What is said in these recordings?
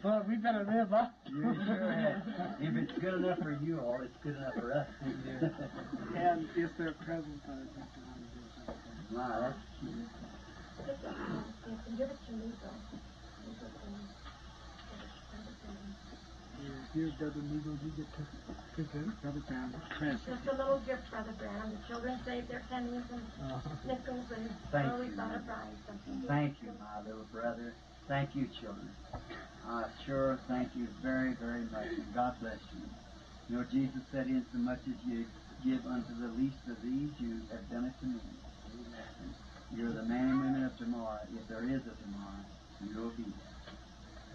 Well, we better live up. You sure have. If it's good enough for you all, it's good enough for us. And is there a present that I'd like to want to do? Wow, that's cute. You can give it to me, though. Give it to Brother Branham. Here, Brother Neagle, you get to present Brother Branham's present. Just a little gift, Brother Branham. The children saved their pennies and nickels, and Thank we you. thought of buying something. Thank you, my little brother. Thank you, children. I sure thank you very, very much, and God bless you. You know, Jesus said, insomuch as you give unto the least of these, you have done it to me. Amen. You're the man and women of tomorrow. If there is a tomorrow, you'll be there.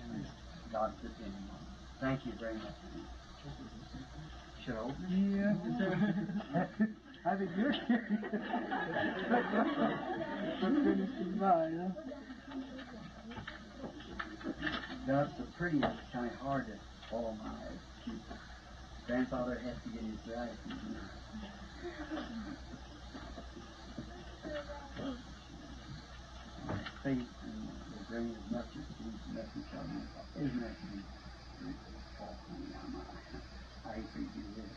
And God's depending on you. Thank you very much. Should I open it? Yeah. I think you're curious. But finished mine, huh? That's so pretty, it's kind of hard to follow my eyes. Grandfather has to get his glasses. Faith will bring as much as these message on me. Isn't that sweet? Oh, honey, I hate for you to do this.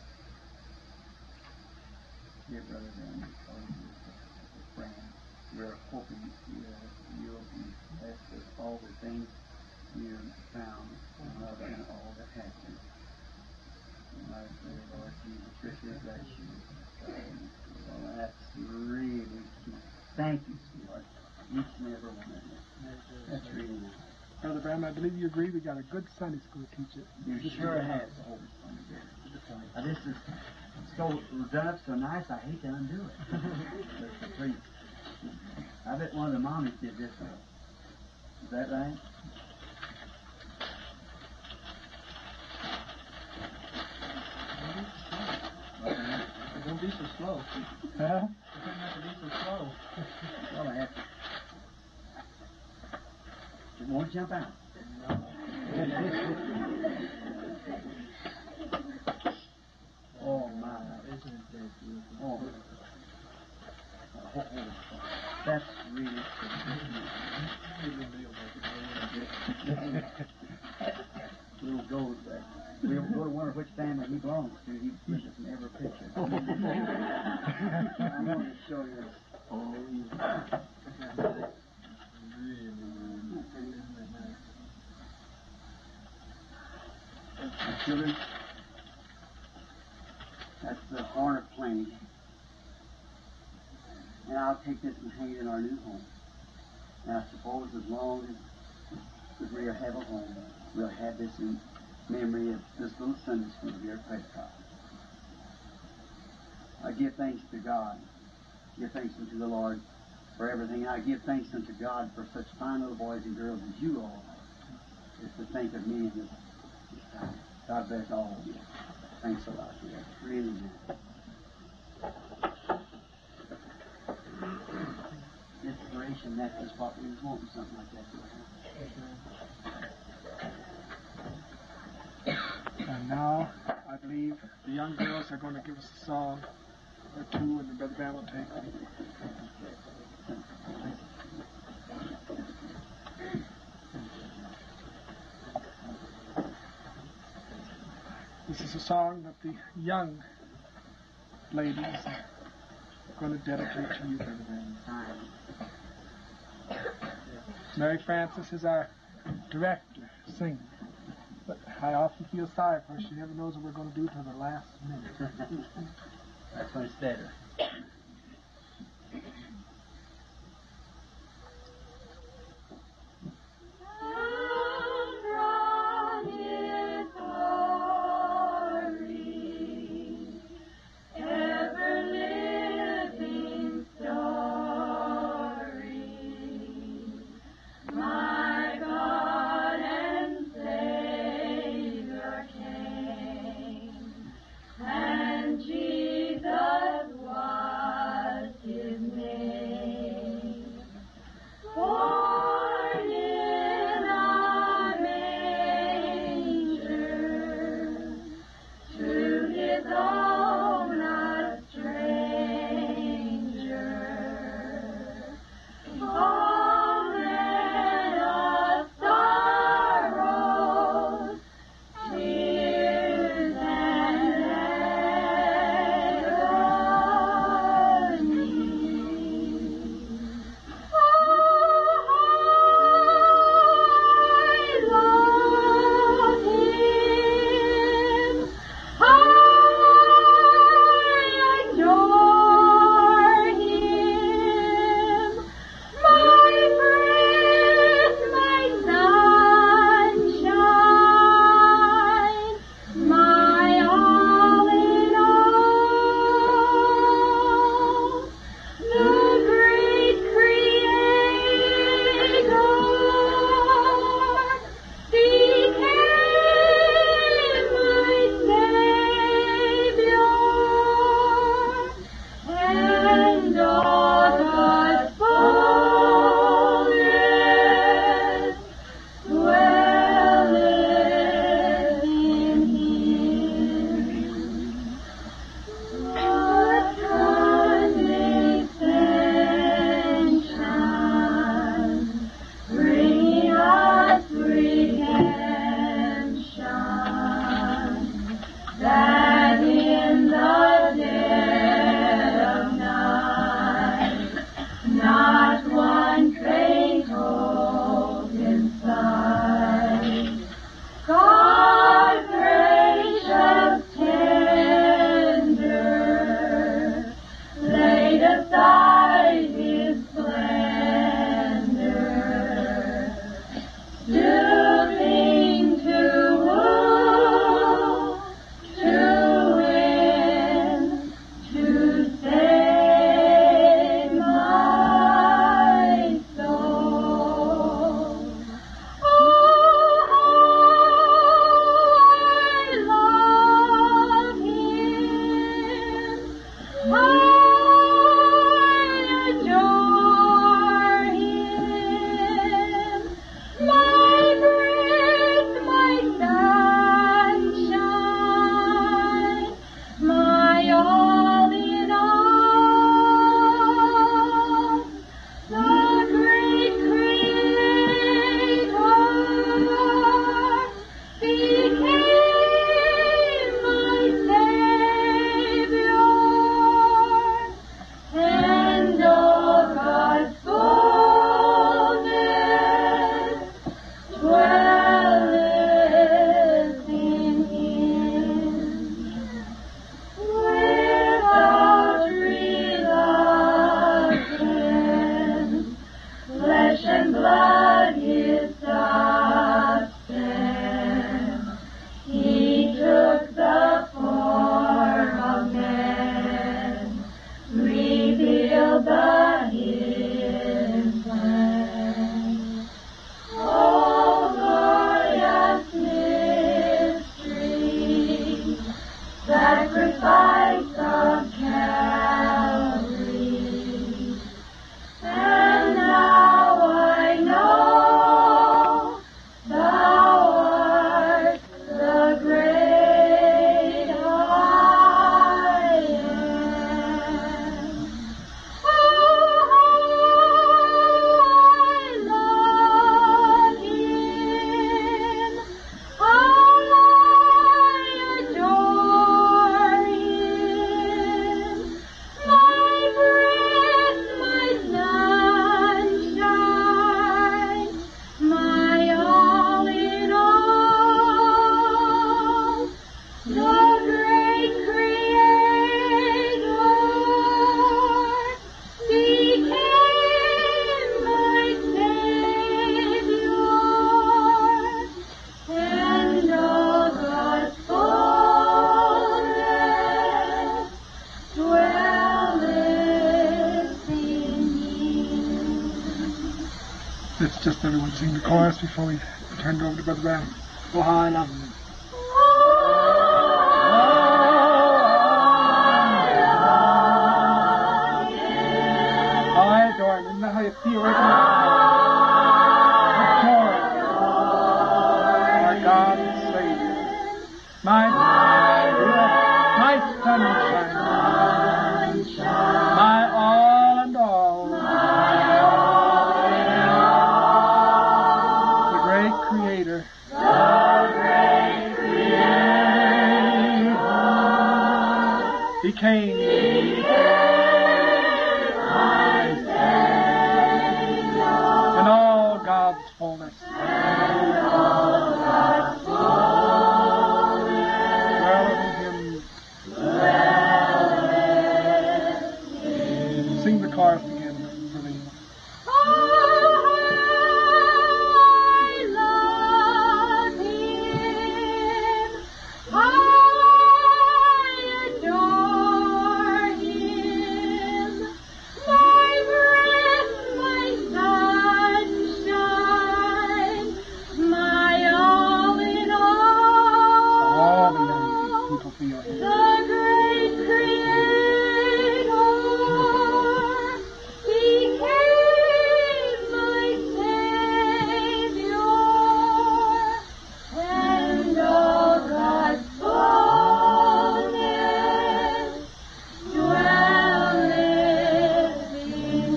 Dear Brother Branham, friend, we're hoping you'll be blessed with all the things you found and love and all that happened. My dear Lord Jesus, richly bless you. Well, that's really cute. Thank you, sweetheart. Each and every one of you. That's really nice. Brother Branham, I believe you agree we got a good Sunday school teacher. You sure have. Now, this is so done up so nice, I hate to undo it. That's so pretty. I bet one of the mommies did this one. Is that right? Don't be so slow. Huh? You don't have to be so slow. Well, I have to. It won't jump out. No. Oh, my. Isn't that beautiful? Oh. Oh, that's really pretty. Little gold there. We'll go to wonder which family he belongs to. He gives us in every picture. I want to show you. Oh, yeah. Really, really, isn't that nice? My children, that's the horn of plenty. And I'll take this and hang it in our new home. And I suppose as long as we have a home, we'll have this in memory of this little Sunday school here at Prescott. I give thanks to God. Give thanks unto the Lord for everything. I give thanks unto God for such fine little boys and girls as you all are. Just to think of me in this time. God bless all of you. Thanks a lot. Yeah, really nice. Inspiration, that's just what we was wanting, something like that. And now, I believe the young girls are going to give us a song or two, and the Brother Branham will take them. This is a song that the young ladies are going to dedicate to you, Brother Branham. Mary Frances is our director, singer. But I often feel sorry for her. She never knows what we're going to do till the last minute. That's when it's better. From His glory, ever-living story, my God and Savior came, and Jesus was. all but His plan. Oh, glorious mystery, sacrifice of Calvary. And now I know Thou art the great I am. Oh, how I love Him! How I adore Him! My breath, my sunshine, my all in all, the great Creator became my Savior, and all God's fullness dwelleth in me. Let's just everyone sing the chorus before we turn it over to Brother Branham. Oh, how I love Him. How I adore Him. Isn't that how you feel right now? Adore Him. Our God and Savior. My, my sunshine. My all and all. The great Creator. Became in all God's fullness. Dwelleth in Him. Sing the chorus again for me. Oh, how I love Him! How I adore Him! My breath, my sunshine, my all in All the all. young people feel it. The great Creator became my Savior, and all God's fullness dwelleth in Him.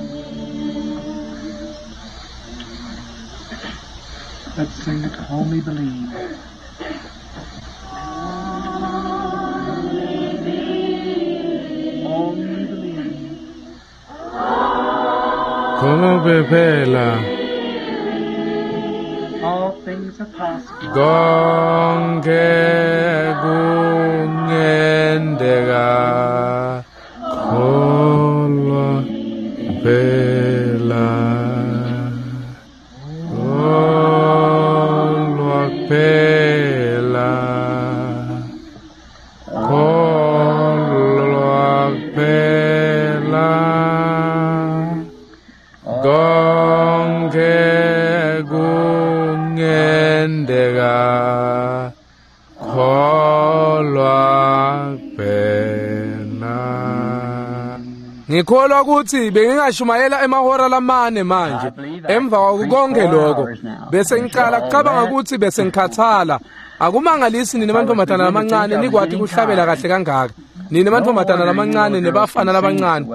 Let's sing it, Only Believe. Only believe. Kholwa kuphela All things are possible. konke kungenteka kholwa kuphela kholwa kuphela kholwa kuphela konke kungenteka kholwa kuphela. Ngikholwa ukuthi bengingashumayela emahora lamane manje emva kwako konke lokho bese ngiqala kucabanga ukuthi bese ngikhathala. Akumangalisi nina mantombazana lamancane nikwati kuhlabela kahle kangaka. Nina mantombazana lamancane nebafana labancane,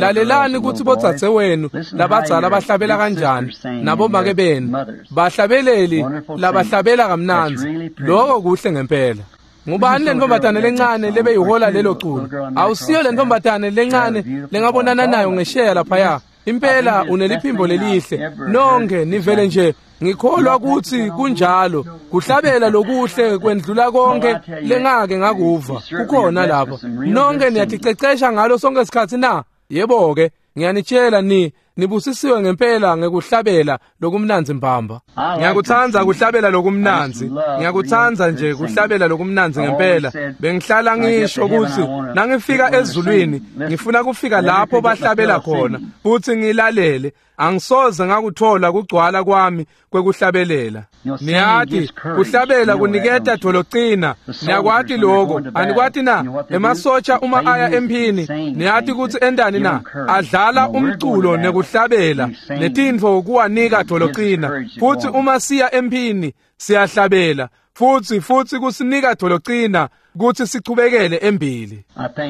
lalelani ukuthi bodzadze wenu labadzala bahlabela kanjani nabomake benu bahlabeleli labahlabela kamnandzi. Lokho kuhle ngempela. Ngubani le ntombazane lencane lebeyihola lelo culo? Awusiyo le ntombazane lencane lengabonana nayo ngesheya laphaya. Impela uneliphimbo lelihle. Nonke nivele nje ngikholwa ukuthi kunjalo. Kuhlabela lokuhle kwendlula konke lengake ngakuva. Kukhona lapho. Nonke niyaticecesha ngalo sonke isikhathi na? Yebo ke, ngiyanitshela ni Nibusisiwe ngempela ngekuhlabela lokumnandzi mbamba. Ngiyakutsandza kuhlabela lokumnandzi. Ngiyakutsandza nje kuhlabela lokumnandzi ngempela. Bengihlala ngisho kutsi nangifika ezulwini ngifuna kufika lapho bahlabela khona futhi ngilalele. Angisoze ngakuthola kugcwala kwami kwekuhlabelela. Niyati kuhlabela kuniketa dolocina. Niyakwati lokho, anikwati na? Emasotsha uma aya emphini, niyati kutsi endani na? Adlala umculo nekuhlabela netintfo kuwanika dolocina. Futhi uma siya emphini siyahlabela futhi kusinika dolocina kutsi sichubekele embili.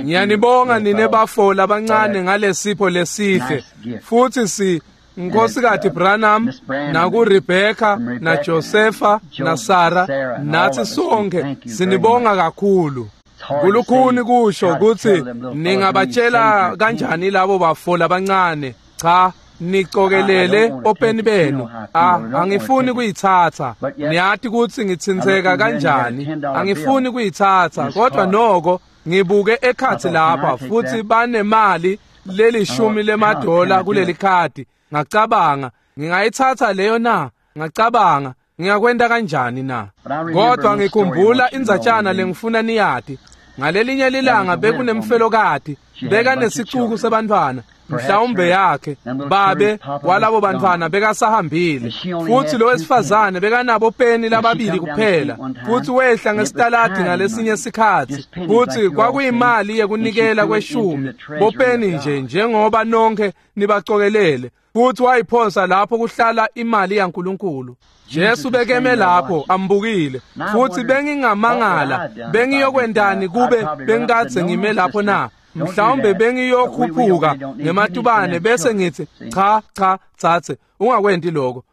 Ngiyanibonga nine bafo labancane ngalesipho lesihle. Futhi Nkosikazi Branham naku Rebecca na Josepha na Sarah nathi sonke sinibonga kakhulu. Kulukhuni kusho kutsi ningabatshela kanjani labo bafo labancane. Cha, nicokelele openi benu. Angifuni kuyitsatsa. Niyati kutsi ngitsintseka kanjani. Angifuni kuyitsatsa, kodwa noko ngibuke ekhatsi lapha futhi banemali lelishumi lemadola kuleli khadi. Ngacabanga, ngingayitsatsa leyo na? Ngacabanga, ngingakwenta kanjani na? Kodwa ngikhumbula indzatshana lengifuna niyati. Ngalelinye lilanga bekunemfelokati, bekanesicuku sebantfwana, mhlawumbe yakhe, babe walabo bantfwana bekasahambile. Futhi lo wesifazane bekanabo peni lababili kuphela. Futhi wehla ngesitaladi ngalesinye sikhatsi. Futhi kwakuyimali yekunikela kweshumi, bopeni nje njengoba nonke nibacokelele. Futhi wayiphonsa lapho kuhlala imali yaNkulunkulu. Jesu bekeme lapho ambukile. Futhi bengingamangala, bengiyokwentani kube bengikadze ngime lapho na? Mhlawumbe bengiyokhuphuka ngematubane bese ngithi cha cha tsatse, ungakwenti lokho.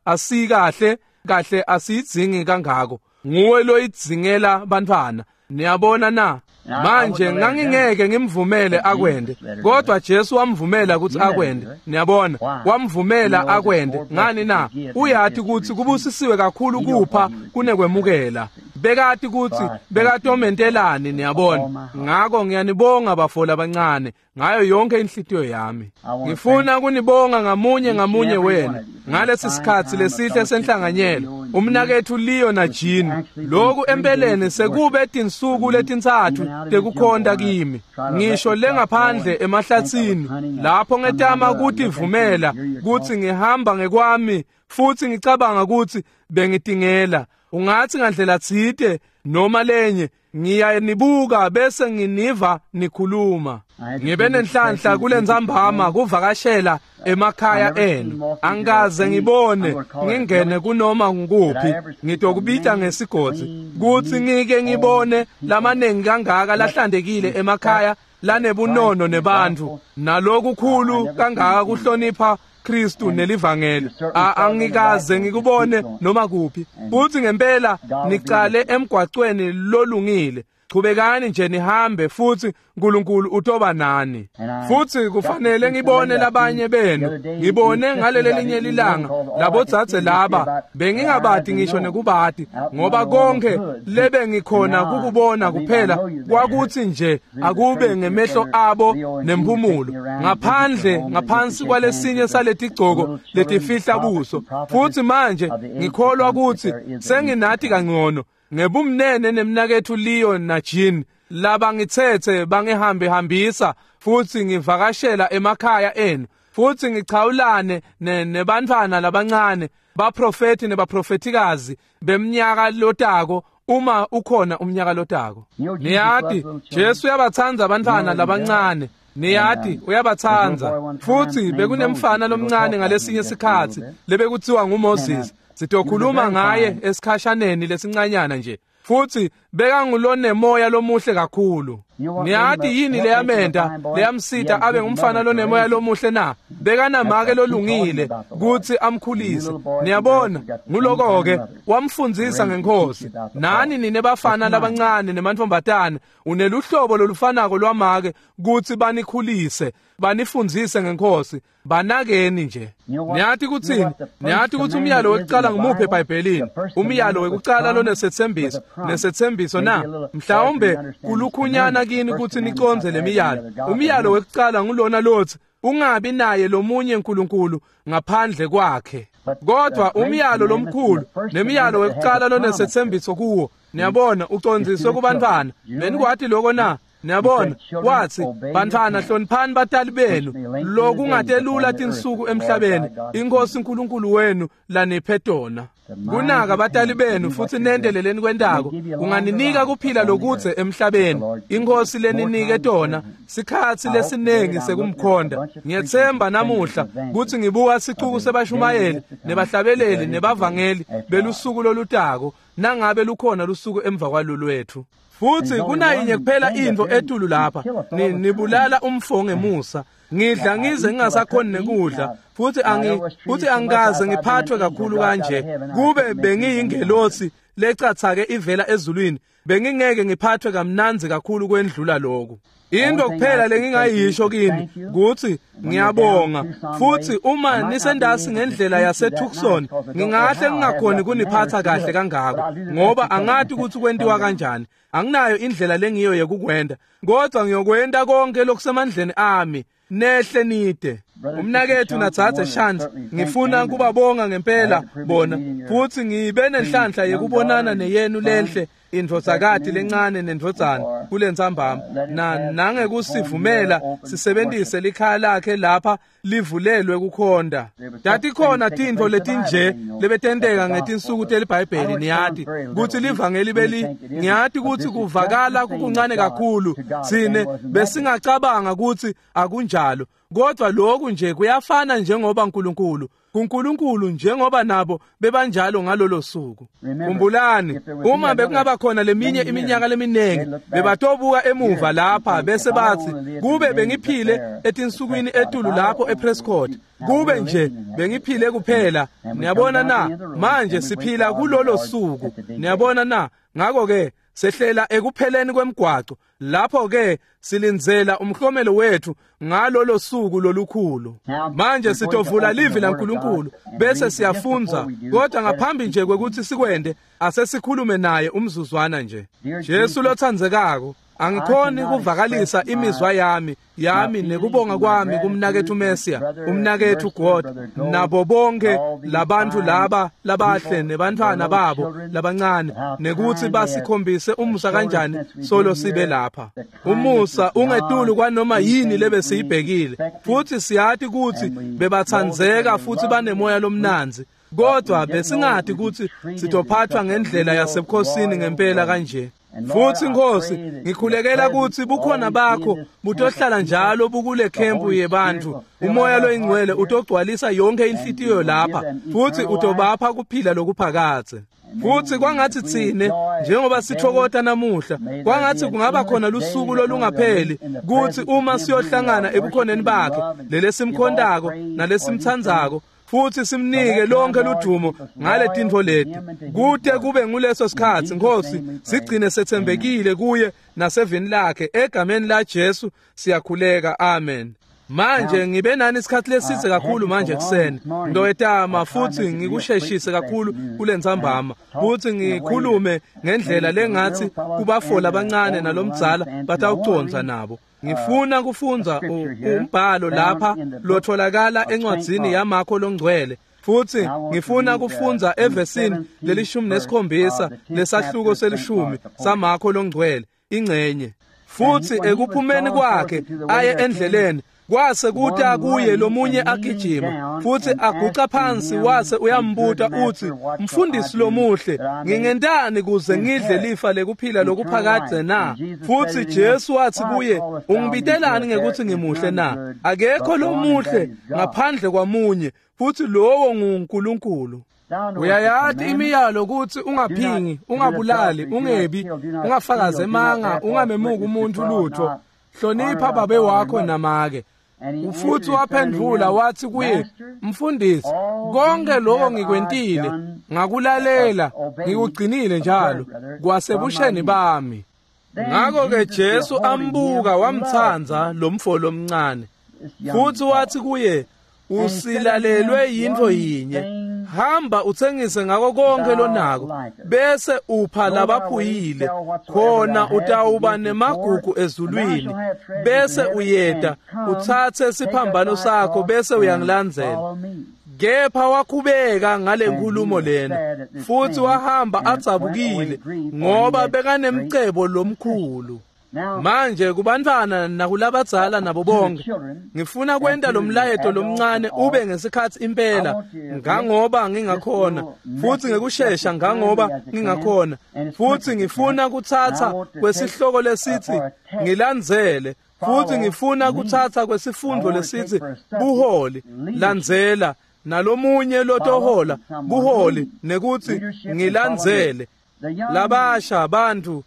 Asikahle kahle, asiyidzingi kangako. Nguwe loyidzingela bantfwana. Niyabona na? Manje ngangingeke ngimvumele akwende, kodwa Jesu wamvumela ukuthi akwende. Niyabona, wamvumela akwende. Ngani na? Uyati kutsi kubusisiwe kakhulu kupha kunekwemukela. Bekati kutsi bekatomentelani, niyabona. Ngako ngiyanibonga bafo labancane ngayo yonke inhlitiyo yami. Ngifuna kunibonga ngamunye ngamunye wenu ngalesi sikhatsi lesihle senhlanganyelo. Umnaketfu Leo na Jean, lokhu empeleni sekube tinsuku letintsatfu tekukhonta kimi. Ngisho lengaphandle emahlatsini lapho ngetama kutivumela kutsi ngihamba ngekwami futhi ngicabanga kutsi bengitingela. Ungathi ngandlela tsite noma lenye ngiyanibuka bese nginiva nikhuluma. Ngibe nenhlanhla kulentsambama kuvakashela emakhaya enu. Angikaze ngibone ngingene kunoma ngukuphi, ngitokubita ngesigodzi kutsi ngike ngibone lamanengi kangaka lahlantekile emakhaya lanebunono nebantfu nalokukhulu kangaka kuhlonipha Kristu nelivangeli. Angikaze ngikubone noma kuphi. Futhi ngempela nicale emgwacweni lolungile. Chubekani nje nihambe futhi uNkulunkulu utoba nani. Futhi kufanele ngibone labanye benu. Ngibone ngalelelinye lilanga labodzadze laba bengingabati ngisho nekubati, ngoba konke lebe ngikhona kukubona kuphela kwakuthi nje akube ngemehlo abo nemphumulo ngaphandle ngaphansi kwalesinye saletigcoko letifihla buso. Futhi manje ngikholwa ukuthi senginati kangcono ngebumnene nemnaketfu Leo na Jean labangitsetse bangihambe hambisa futhi ngivakashela emakhaya enu futhi ngichawulane nebantfwana labancane, baprofeti nebaprofetikazi bemnyaka lotako, uma ukhona umnyaka lotako. Niyati Jesu uyabatsandza abantfwana labancane. Niyati uyabatsandza. Futhi bekunemfana lomncane ngalesinye sikhatsi lebekutsiwa nguMoses. Sitokhuluma ngaye esikhashaneni lesincanyana nje. Futhi bekangulonemoya lomuhle kakhulu. Niyati yini leyamenta leyamsita abe ngumfana lonemoya lomuhle na? Bekanamake lolungile kutsi amkhulise. Niyabona, nguloko-ke wamfundzisa ngeNkhosi. Nani nine bafana labancane nemantfombatane uneluhlobo lolufanako lwamake kutsi banikhulise, banifundzise ngeNkhosi. Banakeni nje. Niyati kutsini? Niyati kutsi umyalo wekucala ngumuphi eBhayibhelini? Umyalo wekucala lonesetsembiso, nesetsembiso na? Mhlawumbe kulukhunyana kini kutsi nicondze lemiyalo. Umyalo wekucala ngulona lotsi Ungabi naye lomunye uNkulunkulu ngaphandle kwakhe. Kodwa umyalo lomkhulu nemiyalo wekucala lonesethembiso kuwo, niyabona, ucondziswe kubantwana. Benikwati lokho na? Niyabona, wathi, bantwana hloniphani batali benu, lokungatelula tinsuku emhlabeni inkosi uNkulunkulu wenu laniphe tona. Kunaka batali benu futhi nendeleleni kwentako kunganinika kuphila lokudze emhlabeni inkosi leninike tona sikhatsi lesiningi sekumkhonda. Ngiyethemba namuhla kutsi ngibuka sicuku sebashumayeli nebahlabeleli nebavangeli belusuku lolutako, nangabe lukhona lusuku emva kwalolwethu. Futhi kunayinye kuphela intfo etulu lapha, nibulala umfo ngemusa. Ngidla ngize ngingasakhoni nekudla, futhi angikaze ngiphathwe kakhulu kanje. Kube bengiyingelosi lecathake ivela ezulwini, bengingeke ngiphathwe kamnandzi kakhulu kwendlula lokhu. Into kuphela lengingayisho kini kutsi ngiyabonga. Futhi uma nisendasi ngendlela yaseTucson, ngingahle ngingakhoni kuniphatha kahle kangako, ngoba angati ukuthi kwentiwa kanjani. Anginayo indlela lengiyo yekukwenda, kodwa ngiyokwenta konke lokusemandleni ami. Nehle nide. Umnakethu natsatse Shantz, ngifuna kubabonga ngempela bona, futhi ngibe nenhlanhla yekubonana neyenu lenhle indvodzakati lencane nendvodzana kulentsambama, nangekusivumela sisebentise likhaya lakhe lapha livulelwe kukhonda. Tatikhona tintfo letinje lebetenteka ngetinsuku teliBhayibheli, niyati kutsi livangeli beli, ngiyati kutsi kuvakala kukuncane kakhulu, tsine besingacabanga kutsi akunjalo, kodwa lokhu nje kuyafana njengoba uNkulunkulu kuNkulunkulu njengoba nabo bebanjalo ngalolo suku. Khumbulani, uma bekungaba khona leminye iminyaka leminingi, bebatobuka emuva lapha bese bathi, kube bengiphile etinsukwini etulu lapho ePrescott, kube nje bengiphile kuphela. Niyabona na? Manje siphila kulolo suku. Niyabona na? Ngakho ke sehlela ekupheleni kwemgwaco, lapho ke silindzela umhlomelo wethu ngalolo suku lolukhulu. Manje sitovula livi laNkulunkulu bese siyafundza, kodwa ngaphambi nje kwekuthi sikwende, asesikhulume naye umzuzwana nje. Jesu lotsandzekako, angikhoni kuvakalisa imizwa yami nekubonga kwami kumnakethu Messia, umnakethu God, nabo bonke labantfu laba labahle nebantfwana babo labancane, nekuthi basikhombise umusa kanjani solo sibe lapha. Umusa ungetulu kwanoma yini lebesiyibhekile, futhi siyati kutsi bebatsandzeka futhi banemoya lomnandzi, kodwa besingati kutsi sitophathwa ngendlela yasebukhosini ngempela kanje. Futhi Nkosi, ngikhulekela kutsi bukhona bakho butohlala njalo bukule khempu yebantfu. Umoya loyingcwele utogcwalisa yonke inhlitiyo lapha, futhi utobapha kuphila lokuphakadze. Futhi kwangathi tsine njengoba sithokota namuhla, kwangathi kungaba khona lusuku lolungapheli kutsi uma siyohlangana ebukhoneni bakhe lelesimkhontako nalesimtsandzako, futhi simnike lonke ludumo ngale tintfo leti. Kute kube nguleso sikhatsi, Nkosi, sigcine setsembekile kuye nasevini lakhe. Egameni la Jesu siyakhuleka, amen. Manje ngibe nani isikhathi lesidze kakhulu manje ekuseni. Ngitowetama futhi ngikusheshise kakhulu kulentsambama, futhi ngikhulume ngendlela lengathi kubafola abancane nalomdzala batawucondza nabo. Ngifuna kufundza umbhalo lapha lotholakala encwadzini yaMakho longcwele, futhi ngifuna kufundza evesini leli-17 lesahluko selishumi saMakho longcwele ingcenye. Futhi ekuphumeni kwakhe aye endleleni, kwase kuta kuye lomunye agijima, futhi aguca phansi wase uyambuta uthi, Mfundisi lomuhle, ngingentani kuze ngidle lifa lekuphila lokuphakadze na? Futhi Jesu wathi kuye, ungibitelani ngekuthi ngimuhle na? Akekho lomuhle ngaphandle kwamunye, futhi lowo nguNkulunkulu. Uyayati imiyalo ukuthi ungaphingi, ungabulali, ungebi, ungafakazi emanga, ungamemuki umuntu lutho, hlonipha babe wakho namake. Futhi waphendvula wathi kuye, Mfundisi, konke lokho ngikwentile, ngakulalela, ngikugcinile njalo kwasebusheni bami. Ngakho-ke Jesu ambuka wamtsandza lomfo lomncane, futhi wathi kuye, usilalelwe yintfo yinye, Hamba utsengise ngako konke lonako, bese upha labaphuyile, khona utawuba nemagugu ezulwini, bese uyeta utsatse siphambano sakho bese uyangilandzela. Kepha wakhubeka ngale nkulumo lena, futhi wahamba adzabukile, ngoba bekanemcebo lomkhulu. Manje kubantfwana nakulabadzala nabo bonke, ngifuna kwenta lo mlayeto lomncane ube ngesikhatsi impela ngangoba ngingakhona, futhi ngekushesha ngangoba ngingakhona, futhi ngifuna kutsatsa kwesihloko lesitsi ngilandzele, futhi ngifuna kutsatsa kwesifundvo lesitsi buholi, landzela, nalomunye lotohola buholi nekutsi ngilandzele. Labasha bantfu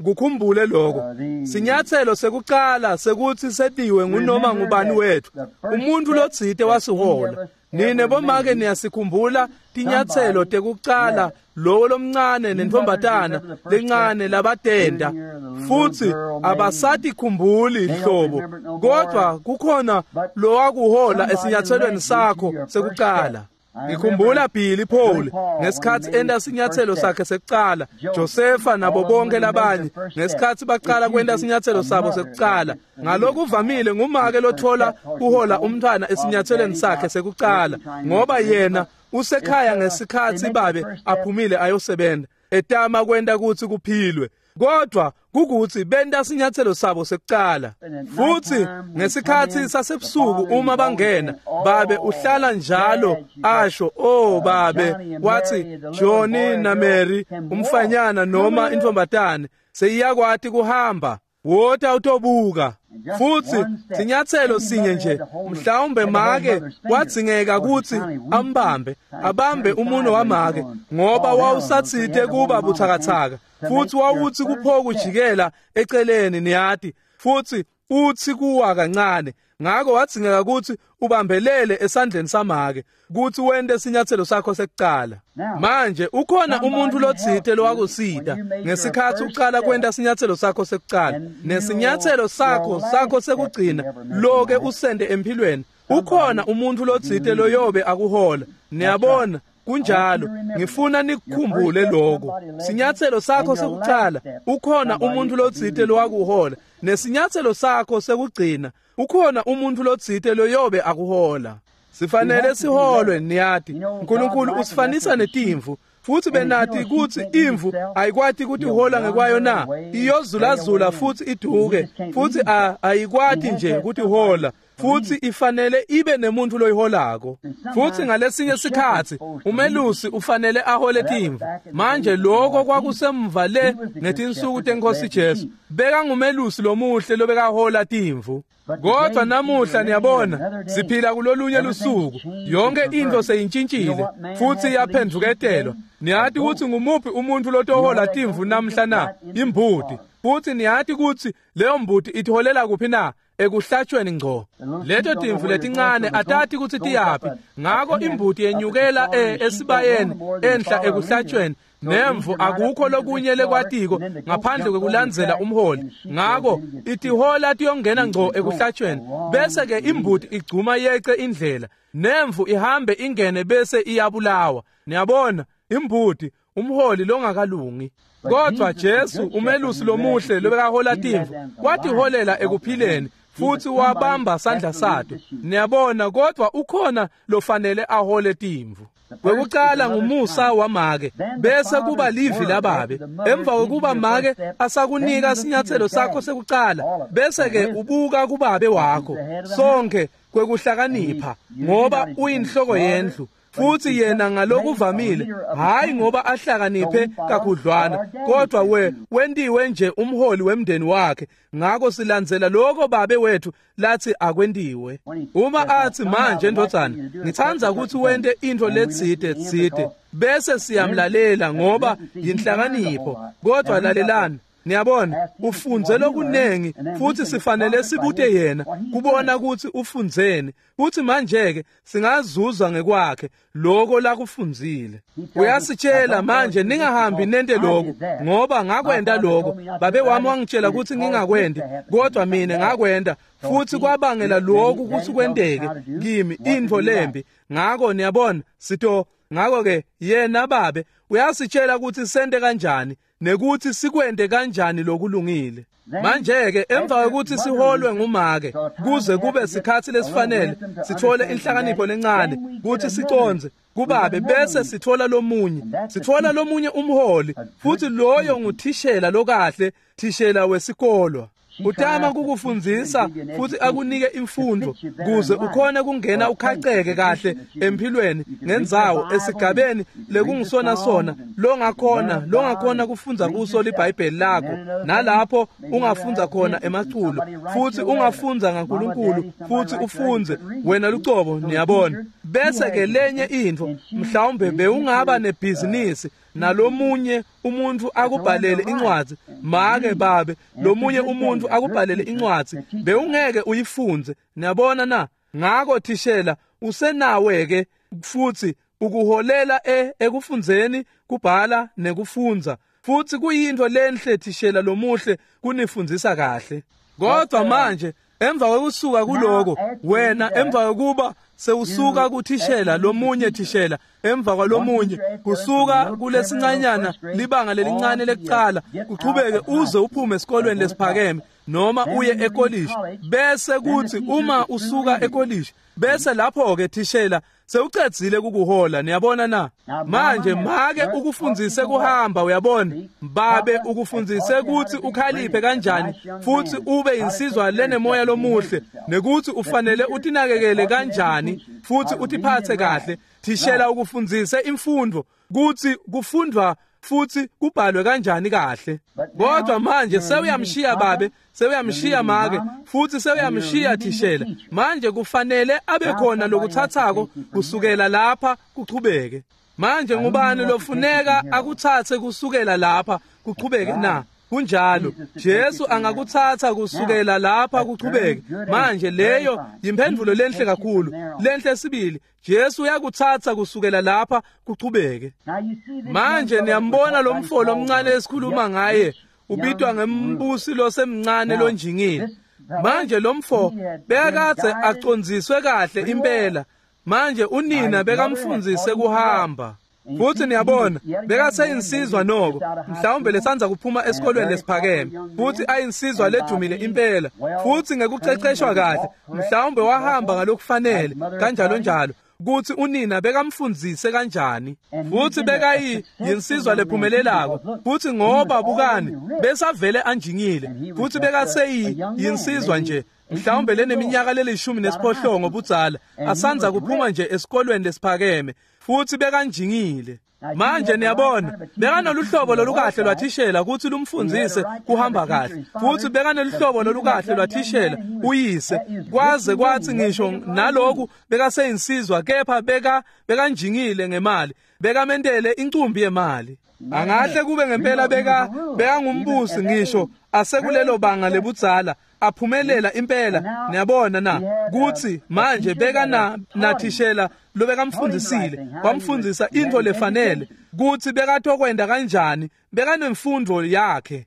kukhumbule lokho. Sinyatselo sekucala sekuthi setiwe ngunoma ngubani wethu, umuntu lotsite wasihola. Nine bomake niyasikhumbula tinyatselo tekucala lowo lomncane nentombatana lencane labatenda, futhi abasatikhumbuli hlobo, kodwa kukhona lowakuhola esinyathelweni sakho sekucala. Ngikhumbula Billy Paul ngesikhatsi enta sinyatselo sakhe sekucala, Josefa nabo bonke labanye ngesikhatsi baqala kwenta sinyatselo sabo sekucala. Ngalokuvamile ngumake lothola kuhola umntfwana esinyathelweni sakhe sekucala, ngoba yena usekhaya ngesikhatsi babe aphumile ayosebenza, etama kwenta kutsi kuphilwe. Kodwa kukuthi benta sinyatselo sabo sekucala. Futhi ngesikhatsi sasebusuku uma bangena, babe uhlala njalo asho, "Oh babe," wathi, "Johnny na Mary, umfanyana noma intombatane seyiyakwati kuhamba, wota utobuka." Futhi sinyatselo sinye nje, mhlawumbe make wadzingeka kutsi ambambe, abambe umuno wamake, ngoba wawusatsite kuba buthakathaka, futhi wawuthi kupho kujikela eceleni, niyati, futhi uthi kuwa kancane. Ngako wadzingeka kutsi ubambelele esandleni samake kutsi wente sinyatselo sakho sekucala. Manje ukhona umuntu lotsite lowakusita ngesikhatsi ucala kwenta sinyatselo sakho sekucala, nesinyatselo sakho sekugcina loke usende emphilweni. Ukhona umuntu lotsite loyobe akuhola. Niyabona, kunjalo. Ngifuna nikukhumbule lokho. Sinyatselo sakho sekucala, ukhona umuntu lotsite lowakuhola, nesinyatselo sakho sekugcina, ukhona umuntu lotsite loyobe akuhola. Sifanele siholwe, niyati. uNkulunkulu usifanisa netimvu, futhi benati kutsi imvu ayikwati kutihola ngekwayo na, iyozulazula futhi iduke, futhi ayikwati nje kutihola, futhi ifanele ibe nemuntu loyiholako. Futhi ngalesinye sikhatsi umelusi ufanele ahole timvu. Manje lokho kwakusemva le ngetinsuku tenkosi Jesu, bekangumelusi lomuhle lobekahola timvu. Kodwa namuhla niyabona siphila kulolunye lusuku, yonke into seyintshintshile futhi yaphendvuketelwa. Niyati kutsi ngumuphi umuntu lotohola timvu namhla na? Imbuti. Futhi niyati kutsi leyo mbuti itholela kuphi na? Ekuhlatshweni ngco. Leto timvu letincane atati kutsi tiyaphi, ngako imbuti yenyukela esibayeni enhla ekuhlatshweni, nemvu akukho lokunye lekwatiko ngaphandle kwekulandzela umholi. Ngako itihola tiyongena ngco ekuhlatshweni, bese ke imbuti igcuma yece indlela, nemvu ihambe ingene bese iyabulawa. Niyabona, imbuti umholi longakalungi. Kodwa Jesu umelusi lomuhle lobekahola timvu watiholela ekuphileni, futhi wabamba sandla sato. Niyabona, kodwa ukhona lofanele ahole timvu. Kwekucala ngumusa wamake, bese kuba livi lababe. Emva kwekuba make asakunika sinyatselo sakho sekucala, bese ke ubuka kubabe wakho sonke kwekuhlakanipha, ngoba uyinhloko yendlu. Futhi yena ngalokuvamile, hayi ngoba ahlakaniphe kakhudlwana, kodwa wentiwe nje umholi wemndeni wakhe. Ngako silandzela lokho babe wethu lathi akwentiwe. Uma athi manje ndodzana, ngitsandza ukuthi wente into letsite tsite, bese siyamlalela ngoba yinhlakanipho. Kodwa lalelani, niyabona, ufunze lokunengi, futhi sifanele sibute yena kubona ukuthi ufundzeni, futhi manje ke singazuza ngekwakhe lokho lakufundzile. Uyasitshela manje, ningahambi nente lokho, ngoba ngakwenta lokho, babe wami wangitshela ukuthi ngingakwenti, kodwa mina ngakwenta, Futsi kwabangela lokhu kutsi kwenteke kimi intfo lembi. Ngako niyabona sito ngako-ke yena babe uyasitshela kutsi sente kanjani nekuthi sikwente kanjani lokulungile. Manje-ke emva kwekuthi siholwe ngumake kuze kube sikhatsi lesifanele sithole inhlakanipho lencane kutsi sicondze kubabe, bese sithola lomunye, sithola lomunye umholi, futsi loyo nguthishela lokahle, thishela wesikolwa. Utama kukufundzisa futsi akunike imfundvo kuze ukhone kungena ukhaceke kahle empilweni ngendzawo esigabeni lekungisona sona longakhona kufundza kuso liBhayibheli lakho, nalapho ungafundza khona emaculo, futsi ungafundza ngaNkulunkulu, futsi ufundze wena lucobo, niyabona. Bese ke lenye intfo, mhlawumbe bewungaba nebhizinisi nalomunye umuntu akubhalele incwadzi, make babe lomunye umuntu akubhalele incwadzi, bewungeke uyifundze, niyabona na. Ngako thishela usenawe ke futsi ukuholela ekufundzeni kubhala nekufundza, futsi kuyintfo lenhle thishela lomuhle kunifundzisa kahle. Kodwa manje emva kwekusuka kuloko wena, emva kwekuba sewusuka kuthishela lomunye thishela emva kwalomunye, kusuka kulesincanyana libanga lelincane lekucala kuchubeke uze uphume esikolweni lesiphakeme noma uye ekolishi, bese kuthi uma usuka ekolishi bese lapho-ke thishela sewucedzile kukuhola, niyabona na. Manje make ukufundzise kuhamba, uyabona, babe ukufundzise kutsi ukhaliphe kanjani futsi ube insizwa lenemoya lomuhle, nekuthi ufanele utinakekele kanjani futsi utiphatse kahle. Thishela ukufundzise imfundvo kutsi kufundvwa futsi kubhalwe kanjani kahle. Kodwa manje sewuyamshiya babe, sewuyamshiya make, futsi sewuyamshiya thishela. Manje kufanele abe khona lokuthathako kusukela lapha kuchubeke. Manje ngubani lofuneka akutsatse kusukela lapha kuchubeke na? Kunjalo, Jesu angakutsatsa kusukela lapha kuchubeke. Manje leyo yimphendvulo lenhle kakhulu, lenhle sibili. Jesu uyakutsatsa kusukela lapha kuchubeke. Manje niyambona lo mfo lomncane esikhuluma ngaye, ubitwa ngembusi losemncane lonjingile. Manje lo mfo bekadze acondziswe kahle impela. Manje unina bekamfundzise kuhamba. Futsi niyabona bekaseyinsizwa noko, mhlawumbe lesandza kuphuma esikolweni lesiphakeme, futsi ayinsizwa ledumile impela, futsi ngekuceceshwa kahle, mhlawumbe wahamba ngalokufanele kanjalo njalo, kutsi unina bekamfundzise kanjani, futsi bekayinsizwa lephumelelako, futsi ngoba bukani besavele anjingile, futsi bekaseyinsizwa nje mhlawumbe leneminyaka leli-18 budzala, asandza kuphuma nje esikolweni lesiphakeme, futsi bekanjingile. Manje niyabona bekanoluhlobo lolukahle lwathishela kutsi lumfundzise kuhamba kahle, futsi bekanoluhlobo lolukahle lwathishela uyise, kwaze kwatsi ngisho naloku bekaseyinsizwa, kepha bekanjingile ngemali, bekamentele incumbi yemali. Angahle kube ngempela bekangumbusi ngisho asekulelo banga lebudzala, aphumelela impela, niyabona na, kutsi manje beka nathishela lobekamfundzisile, wamfundzisa intfo lefanele kutsi bekatokwenta kanjani, bekanemfundo yakhe.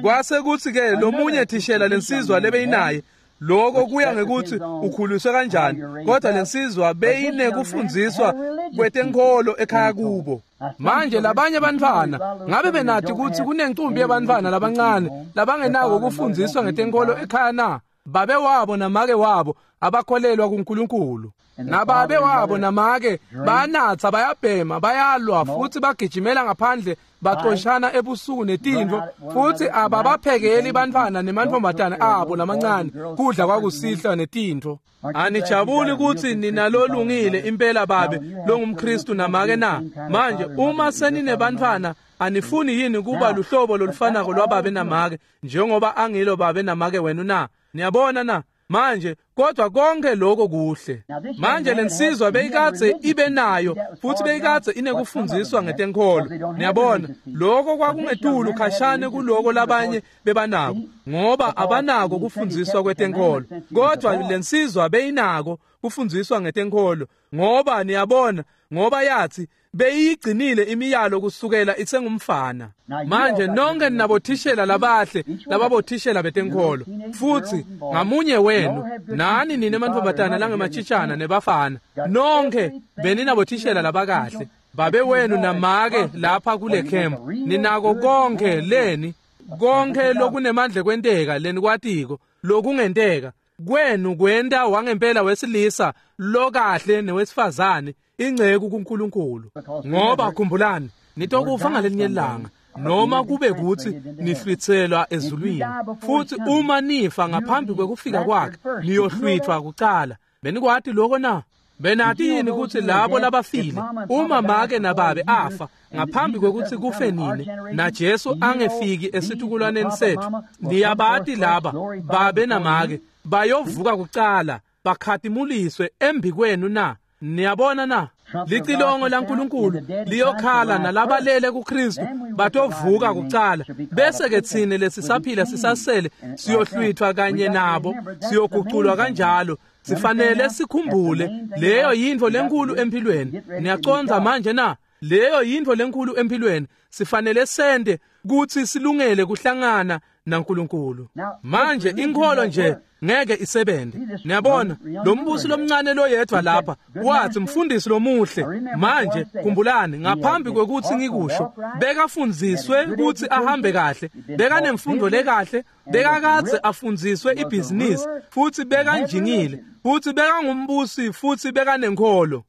Kwase kutsi ke lomunye thishela lensizwa lebeyinaye, lokho kuya ngekuthi ukhuliswe kanjani, kodwa lensizwa beyinekufundziswa kwetenkholo ekhaya kubo. Manje labanye bantfwana ngabe benathi kutsi kunencumbi yebantfwana labancane labangenako kufundziswa ngetenkholo ekhaya na? Babe wabo namake wabo abakholelwa kuNkulunkulu, nababe wabo namake bayanatsa, bayabhema, bayalwa, futsi bagijimela ngaphandle baxoshana ebusuku netintfo, futsi ababaphekeli bantfwana nemantfombatane abo lamancane kudla kwakusihlwa netintfo. Anijabuli kutsi ninalolungile impela babe longumKhristu namake na? Manje uma seninebantfwana, anifuni yini kuba luhlobo lolufanako lwababe namake njengoba angilo babe namake wenu na? Niyabona na? Manje kodwa konke lokho kuhle. Manje lensizwa beyikadze ibe nayo, futsi beyikadze inekufundziswa ngetenkholo, niyabona. Lokho kwakungetulu khashane kuloko labanye bebanako, ngoba abanako kufundziswa kwetenkholo, kodwa lensizwa beyinako. kufundziswa ngetenkholo, ngoba niyabona, ngoba yathi beyigcinile imiyalo kusukela isengumfana. Manje nonke ninabothishela labahle lababothishela betenkholo, futhi ngamunye wenu nani nine mantfombatana langemachitshana nebafana, nonke beninabothishela labakahle, babe wenu namake lapha kule camp, ninako konke leni, konke lokunemandla kwenteka lenikwatiko lokungenteka kwenu kwenta wangempela wesilisa lokahle newesifazane ingceku kuNkulunkulu. Ngoba khumbulani, nitokufa ngalelinye ilanga, noma kube kuthi nihlwitselwa ezulwini, futhi uma nifa ngaphambi kwekufika kwakhe niyohlwithwa kucala. Benikwati lokho na? Benati yini ukuthi labo labafile, uma make nababe afa ngaphambi kwekuthi kufe nini, naJesu angefiki esitukulwaneni sethu, niyabati laba babe namake bayovuka kucala bakhatimuliswe embikwenu na? Niyabona na? Licilongo laNkulunkulu liyokhala nalabalele kuKristu batovuka kucala, bese ke tsine lesisaphila sisasele siyohlwithwa kanye nabo, siyoguculwa kanjalo. Sifanele sikhumbule leyo yintfo lenkulu empilweni. Niyacondza manje na? Leyo yintfo lenkulu empilweni. Sifanele sente kutsi silungele kuhlangana naNkulunkulu. Manje inkholo nje ngeke isebenze. Niyabona, lo mbusi lomncane loyedwa lapha wathi, mfundisi lomuhle, manje khumbulani, ngaphambi kwekuthi ngikusho, bekafundziswe kutsi ahambe kahle, bekanemfundo lekahle, bekakadze afundziswe ibhizinisi, futhi bekanjingile, futhi bekangumbusi, futhi bekanenkholo.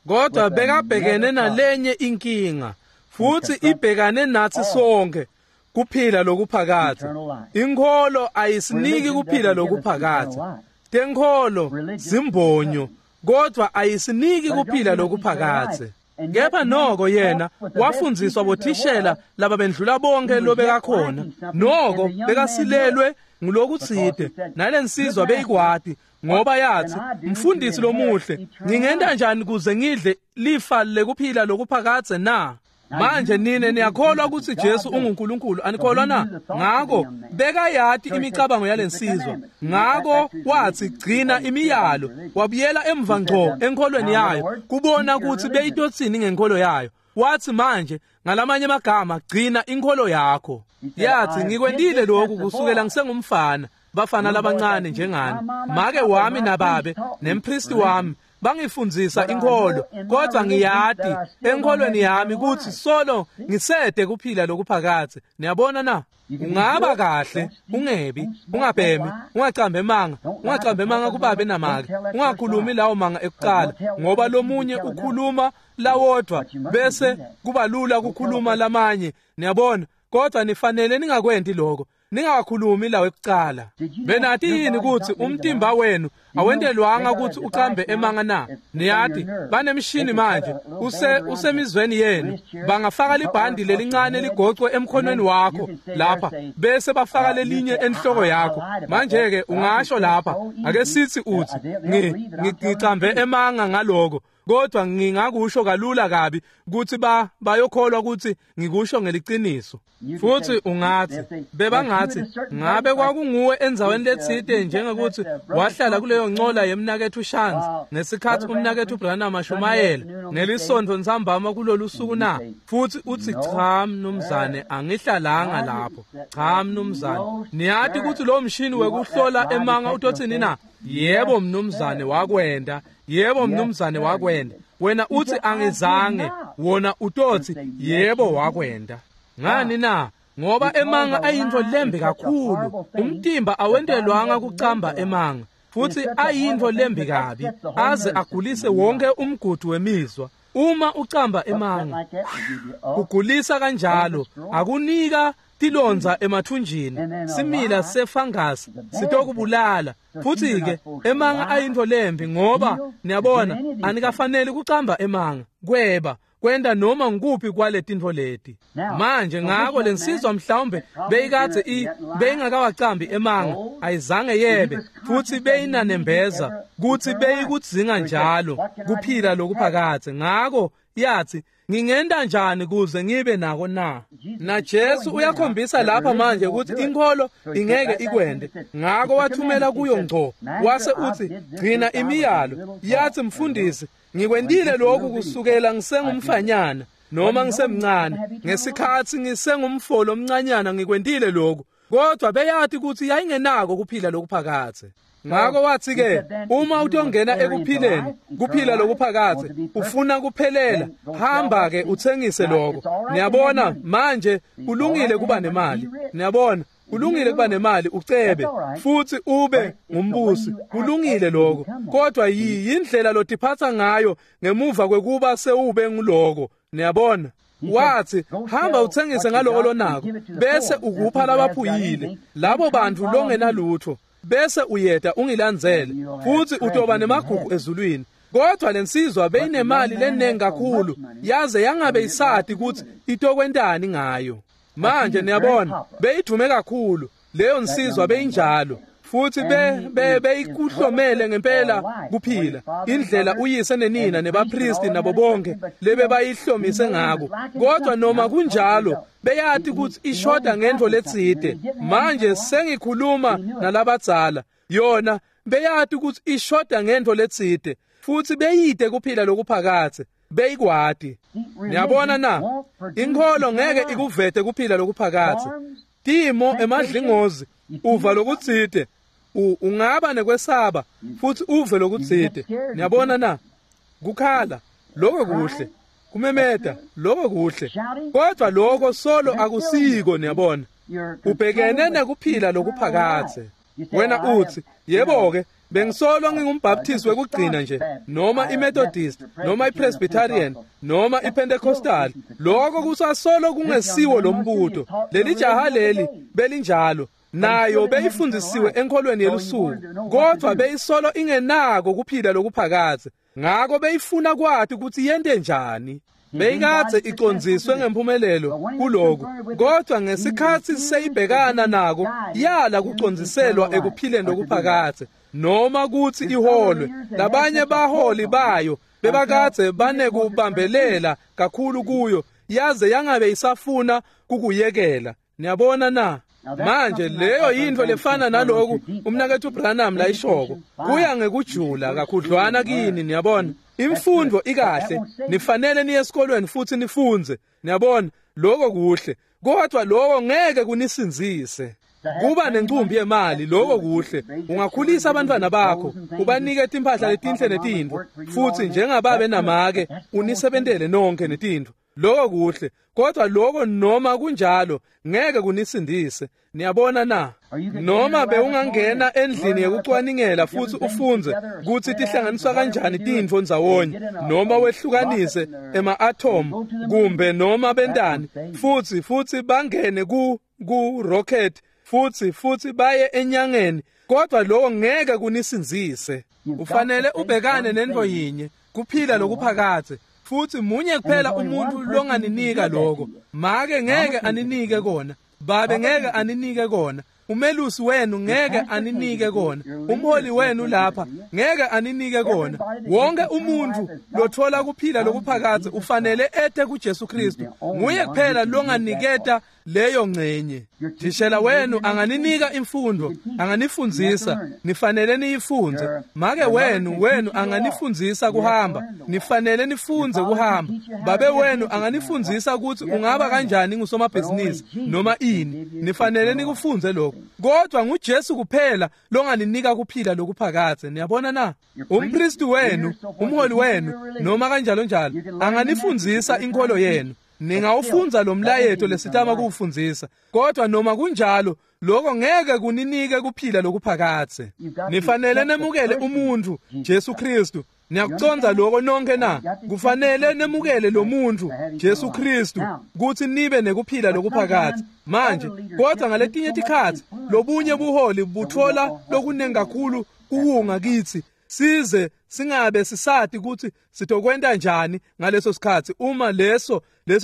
Kodwa bekabhekene nalenye inkinga, futhi ibhekane nathi sonke, kuphila lokuphakadze. Inkholo ayisiniki kuphila lokuphakadze. Tenkholo zimbonyo, kodwa ayisiniki kuphila lokuphakadze. Kepha noko yena wafundziswa bothishela laba bendlula bonke lobekakhona, noko bekasilelwe ngulokutsite, nalensizwa beyikwati, ngoba yathi, mfundisi lomuhle, ngingenta njani kuze ngidle lifa lekuphila lokuphakadze na? Manje nine niyakholwa ukuthi Jesu unguNkulunkulu, anikholwa na? Ngako bekayati imicabango yalensizwa, ngako wathi gcina imiyalo, wabuyela emva ngco enkholweni yayo kubona ukuthi beyitotsini ngenkholo yayo. Wathi manje ngalamanye amagama, gcina inkholo yakho. Yathi ngikwentile lokhu kusukela ngisengumfana, bafana labancane njengani, make wami nababe nempristi wami bangifundzisa inkholo, kodwa ngiyati enkholweni yami kutsi solo ngisede kuphila lokuphakadze. Niyabona na? Ungaba kahle, ungebi, ungabhemi, ungacambi emanga, ungacambi emanga kubabe namake, ungakhulumi lawo manga ekucala, ngoba lomunye ukhuluma lawodwa bese kuba lula kukhuluma lamanye. Niyabona? Kodwa nifanele ningakwenti lokho, ningakhulumi lawo ekucala. Benati yini kutsi umtimba wenu awentelwanga kutsi ucambe emanga na? Niyati banemishini manje usemizweni yenu, bangafaka libhandi lelincane ligocwe emkhonweni wakho lapha, bese bafaka lelinye enhloko yakho. Manje ke ungasho lapha, ake sithi uthi ngicambe emanga ngaloko, kodwa ngingakusho kalula kabi kutsi bayokholwa kutsi ngikusho ngeliciniso. Futhi ungathi bebangathi ngabe kwakunguwe endzaweni letsite, njengekuthi wahlala kuleyo ncola yemnaketfu Shands ngesikhatsi umnaketfu Branham ashumayela ngelisontfo ntsambama kulolu suku na? Futhi uthi cha mnumzane, angihlalanga lapho. Cha mnumzane. Niyati kutsi lo mshini wekuhlola emanga utotsini na? Yebo mnumzane wakwenta. Yebo mnumzane wakwenta. Wena uthi angizange, wona utothi yebo wakwenta. Ngani na? Ngoba emanga ayintfo lembi kakhulu. Umtimba awentelwanga kucamba emanga, futhi ayintfo lembi kabi, aze agulise wonke umgudu wemizwa. Uma ucamba emanga, kugulisa kanjalo, akunika tilondza emathunjini, simila sefangasi sitokubulala. Futhi ke emanga ayintfo lembi, ngoba niyabona anikafanele kucamba emanga, kweba, kwenta noma ngikuphi kwaletintfo leti. Manje ngako lensizwa mhlawumbe beyikadze beyingakawacambi emanga, ayizange yebe, futhi beyinanembeza kutsi beyikudzinga njalo kuphila lokuphakadze. Ngako yathi Ngingenta njani kuze ngibe nako na? Na Jesu uyakhombisa lapha manje ukuthi inkholo ingeke ikwende. Ngako wathumela kuyo ngco, wase uthi, gcina imiyalo. Yathi, mfundisi, ngikwentile lokhu kusukela ngisengumfanyana noma ngisemncane. Ngesikhathi ngisengumfolo omncanyana ngikwentile lokhu. Kodwa beyathi ukuthi yayingenako kuphila lokuphakathe. Ngako wathi ke, uma utongena ekuphileni, kuphila lokuphakathe, ufuna kuphelela, hamba ke uthengise lokho. Niyabona manje kulungile kuba nemali. Niyabona, kulungile kuba nemali ucebe futhi ube ngumbusi. Kulungile lokho. Kodwa yindlela lotiphatha ngayo ngemuva kwekuba sewube nguloko. Niyabona? Wathi, hamba uthengise ngaloko lonako, bese ukupha labaphuyile, labo bantu longenalutho, bese uyeda ungilandzele, futhi utoba nemagugu ezulwini. Kodwa lensizwa beyinemali lenengi kakhulu, yaze yangabe isati ukuthi itokwentani ngayo. Manje niyabona, beyidume kakhulu leyo nsizwa, beyinjalo. Futhi beyikuhlomele ngempela kuphila, indlela uyise nenina nebapristi nabo bonke lebe bayihlomise ngako. Kodwa noma kunjalo beyati ukuthi ishoda ngento letsite. Manje sengikhuluma nalabadzala, yona beyati ukuthi ishoda ngento letsite, futhi beyide kuphila lokuphakathe, beyikwati. Niyabona na, inkholo ngeke ikuvete kuphila lokuphakathe. Timo emadlingozi uva lokutsite, ungaba nekwesaba futhi uve lokutsite. Niyabona na, kukhala lokho kuhle, kumemeta lokho kuhle, kodwa lokho solo akusiko. Niyabona, ubhekene nekuphila lokuphakathe. Wena uthi, yebo ke, bengisolo ngingumbaptist wekugcina nje, noma iMethodist, noma iPresbyterian, noma iPentecostal. Lokho kusasolo kungesiwo lombuto. Leli jaha leli belinjalo, nayo beyifundisiwe enkholweni yelusuku, kodwa beyisolo ingenako kuphila lokuphakathe. Ngako beyifuna kwati ukuthi yente njani. Beyikadze icondziswe ngempumelelo kuloku, kodwa ngesikhathi seyibhekana nako yala kucondziselwa ekuphileni lokuphakathe, noma kuthi iholwe. Labanye baholi bayo bebakadze banekubambelela kakhulu kuyo, yaze yangabe isafuna kukuyekela. Niyabona na? Manje leyo yinto lefana naloku umnakethu Branham layishoko, kuya ngekujula kakhudlwana kini. Niyabona, imfundo ikahle, nifanele niye esikolweni futhi nifunze. Niyabona, lokho kuhle, kodwa lokho ngeke kunisinzise. Kuba nencumbi yemali, lokho kuhle, ungakhulisa abantwana bakho, ubanike timphahla letinhle netintfo, futhi njengababe namake unisebentele nonke netintfo, lokho kuhle, kodwa lokho noma kunjalo ngeke kunisindise. Niyabona na? Noma bewungangena endlini yekucwaningela futhi ufunze kutsi tihlanganiswa kanjani tintfo ndzawonye, noma wehlukanise ema-atom kumbe noma bentani, futhi bangene ku rocket futhi baye enyangeni, kodwa lokho ngeke kunisinzise. Ufanele ubhekane nento yinye, kuphila lokuphakathe. Futhi munye kuphela umuntu longaninika lokho. Make ngeke aninike kona, babe ngeke aninike kona, umelusi wenu ngeke aninike kona, umholi wenu lapha ngeke aninike kona. Wonke umuntu lothola kuphila lokuphakathe ufanele ete kuJesu Kristu. Nguye kuphela longaniketa leyo ngcenye. Thishela wenu anganinika imfundo, anganifundzisa, nifanele niyifunze. Make wenu anganifundzisa kuhamba, nifanele nifunze kuhamba. Babe wenu anganifundzisa ukuthi ungaba kanjani ngusomabhizinisi noma ini, nifanele nikufunze lokho. Kodwa nguJesu kuphela longaninika kuphila lokuphakathe. Niyabona na? Umpristi wenu, umholi wenu, noma kanjalo njalo anganifundzisa inkolo yenu. Ningawufunza lo mlayeto lesitama kuwufundzisa, kodwa noma kunjalo lokho ngeke kuninike kuphila lokuphakathe. Nifanele nemukele umuntu Jesu Kristu. Niyakuconza lokho nonke na? Kufanele nemukele lo muntu Jesu Kristu kuthi nibe nekuphila lokuphakathe. Manje kodwa ngaletinye tikhatsi lobunye buholi buthola lokunengi kakhulu kuwunga kithi, size singabe sisati ukuthi sitokwenta njani ngaleso sikhathi uma leso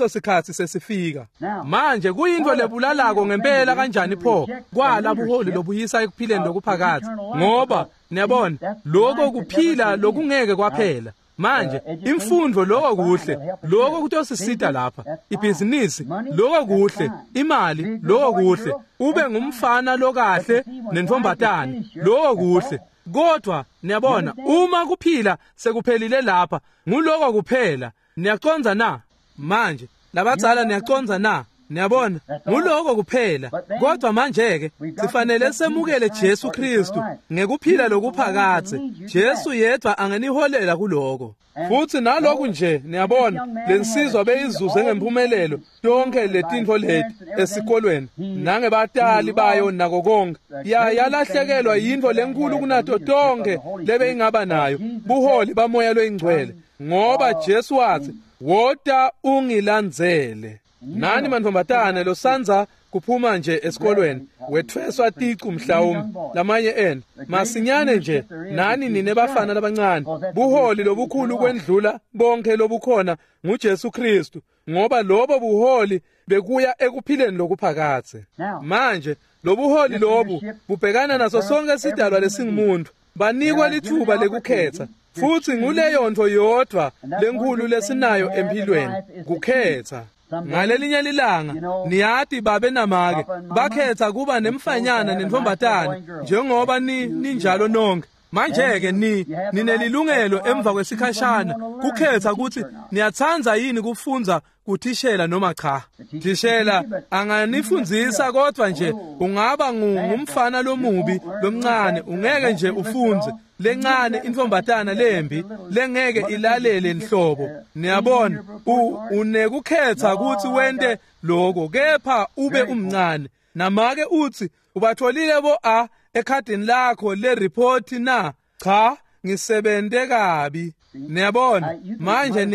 sikhathi sesifika. Manje kuyinto lebulalako ngempela kanjani pho kwala buholi lobuyisa ekuphileni lokuphakathe, ngoba niyabona lokho kuphila lokungeke kwaphela. Manje imfundvo loko kuhle, loko kutosisita lapha. Ibhizinisi loko kuhle, imali loko kuhle, ube ngumfana lokahle nentombatane loko kuhle. Kodwa niyabona uma kuphila sekuphelile lapha, nguloko kuphela. Niyacondza na? Manje labadzala niyacondza na? Niyabona, nguloko kuphela. Kodwa manje-ke sifanele semukele Jesu Kristu ngekuphila lokuphakadze. Jesu yedwa angeniholela kuloko. Futhi naloku nje niyabona lensizwa beyizuze ngempumelelo tonke letintfo leti esikolweni nangebatali bayo nako konke. Yalahlekelwa yintfo lenkulu kunato tonke lebeyingaba nayo, buholi bamoya loyingcwele, ngoba Jesu wathi, "Wota ungilandzele." Nani mantombazane losandza kuphuma nje esikolweni wethweswa ticu mhlawumbe lamanye enu masinyane nje, nani nine bafana labancane, buholi lobukhulu kwendlula bonke lobukhona nguJesu Kristu, ngoba lobo buholi bekuya ekuphileni lokuphakadze. Manje lobuholi lobu bubhekana naso sonke sidalwa lesingumuntu, banikwa lithuba lekukhetha. Futhi nguleyo nto yodwa lenkulu lesinayo empilweni, kukhetha. Ngalelinye lilanga niyati babe namake bakhetha kuba nemfanyana nentombatane njengoba ninjalo nonke. Manje-ke ninelilungelo emva kwesikhashana kukhetha ukuthi niyatsandza yini kufundza kuthishela noma cha. Thishela anganifundzisa, kodwa nje ungaba ngumfana lomubi lomncane, ungeke nje ufundze lencane intombatana lembi lengeke ilalele nhlobo. Niyabona, unekukhetha ukuthi wente lokho, kepha ube umncane. Namake uthi ubatholile bo a ekhadini lakho le report na? Cha, ngisebente kabi. Niyabona, manje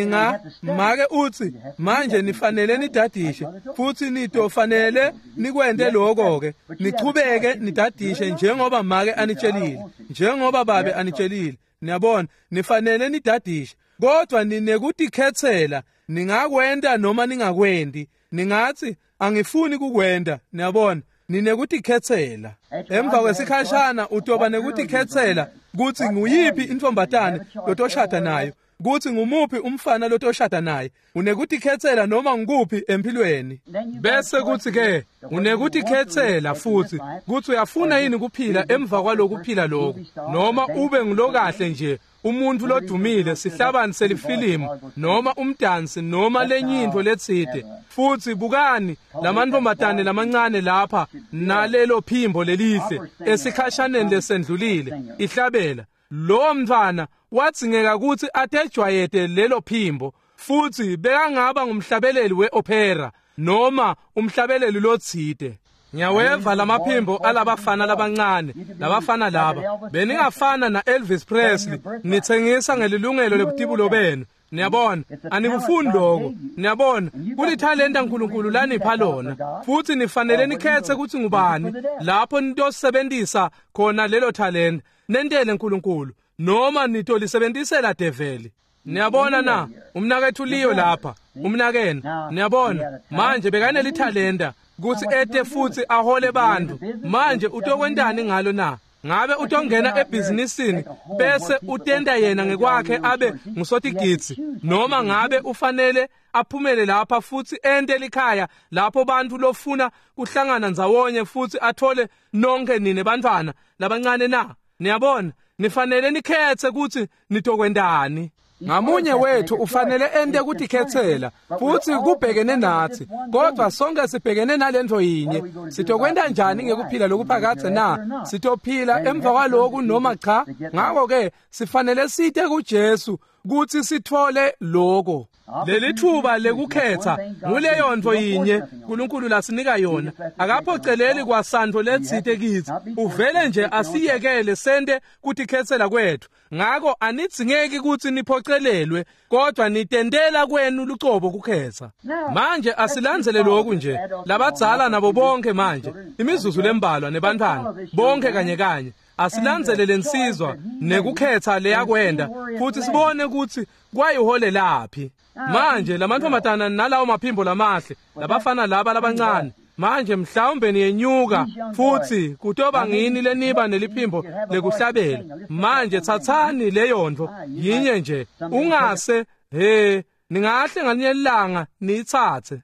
make uthi manje nifanele nidadishe, futhi nitofanele nikwente lokho-ke, nichubeke nidadishe njengoba make anitshelile, njengoba babe anitshelile. Niyabona, nifanele nidadishe, kodwa ninekutikhetsela, ningakwenta noma ningakwendi. Ningathi angifuni kukwenta. Niyabona, ninekutikhetsela. Emva kwesikhashana utoba nekutikhetsela kutsi nguyiphi intombatane lotoshada nayo, kutsi ngumuphi umfana lotoshada naye. Unekutikhetsela noma ngukuphi empilweni. Bese kuthi ke unekutikhetsela futhi kutsi uyafuna yini kuphila emva kwalokuphila lokhu, noma ube ngulokahle nje umuntu lodumile, sihlabani selifilimu noma umdansi noma lenye intfo letsite. Futhi bukani lamantombazane lamancane lapha nalelo phimbo lelihle esikhashaneni lesendlulile ihlabela. Lo mntwana wadzingeka ukuthi atejwayete lelo phimbo, futhi bekangaba ngumhlabeleli weopera noma umhlabeleli lotsite. Ngiyaweva lamaphimbo alabafana labancane, labafana laba beningafana na Elvis Presley, nithengisa ngelilungelo lebutibulo benu. Niyabona, anikufuni lokho. Niyabona, kulithalenta uNkulunkulu lanipha lona, futhi nifanele nikhethe ukuthi ngubani lapho nitosebenzisa khona lelo talenta, nentele uNkulunkulu noma nitolisebenzisela develi. Niyabona na, umnakethu Leo lapha, umnakenu. Niyabona, manje bekanelithalenta kutsi ete futhi ahole bantu. Manje utokwentani ngalo na? Ngabe utongena ebhizinisini bese utenda yena ngekwakhe abe ngusotigidzi, noma ngabe ufanele aphumele lapha futhi ente likhaya lapho bantu lofuna kuhlangana ndzawonye futhi athole nonke nine bantwana labancane na? Niyabona, nifanele nikhethe ukuthi nitokwentani. Ngamunye wethu ufanele ente kutikhetsela, futhi kubhekene nathi, kodwa sonke sibhekene nalento yinye. Sitokwenta njani ngekuphila lokuphakadze na? Sitophila emva kwaloku noma cha? Ngakho-ke sifanele site kuJesu kutsi sithole loko. Leli thuba lekukhetha nguleyo nto yinye uNkulunkulu lasinika yona. Akaphoceleli kwasantfo letsite kitsi, uvele nje asiyekele sente kutikhetsela kwethu. Ngako anidzingeki kutsi niphocelelwe, kodwa nitentela kwenu lucobo kukhetha. Manje asilandzele lokhu nje, labadzala nabo bonke manje, imizuzu lembalwa nebantwana bonke kanye kanye. Asilandzele lensizwa nekukhetha leyakwenda, futhi sibone ukuthi kwayiholelaphi. Manje lamantombazana nalawo maphimbo lamahle, labafana laba labancane. Manje mhlawumbe niyenyuka futhi kutoba ngini leniba neliphimbo lekuhlabela. Manje thathani leyontfo yinye nje, ungase he ningahle ngalinye ilanga niyitsatse.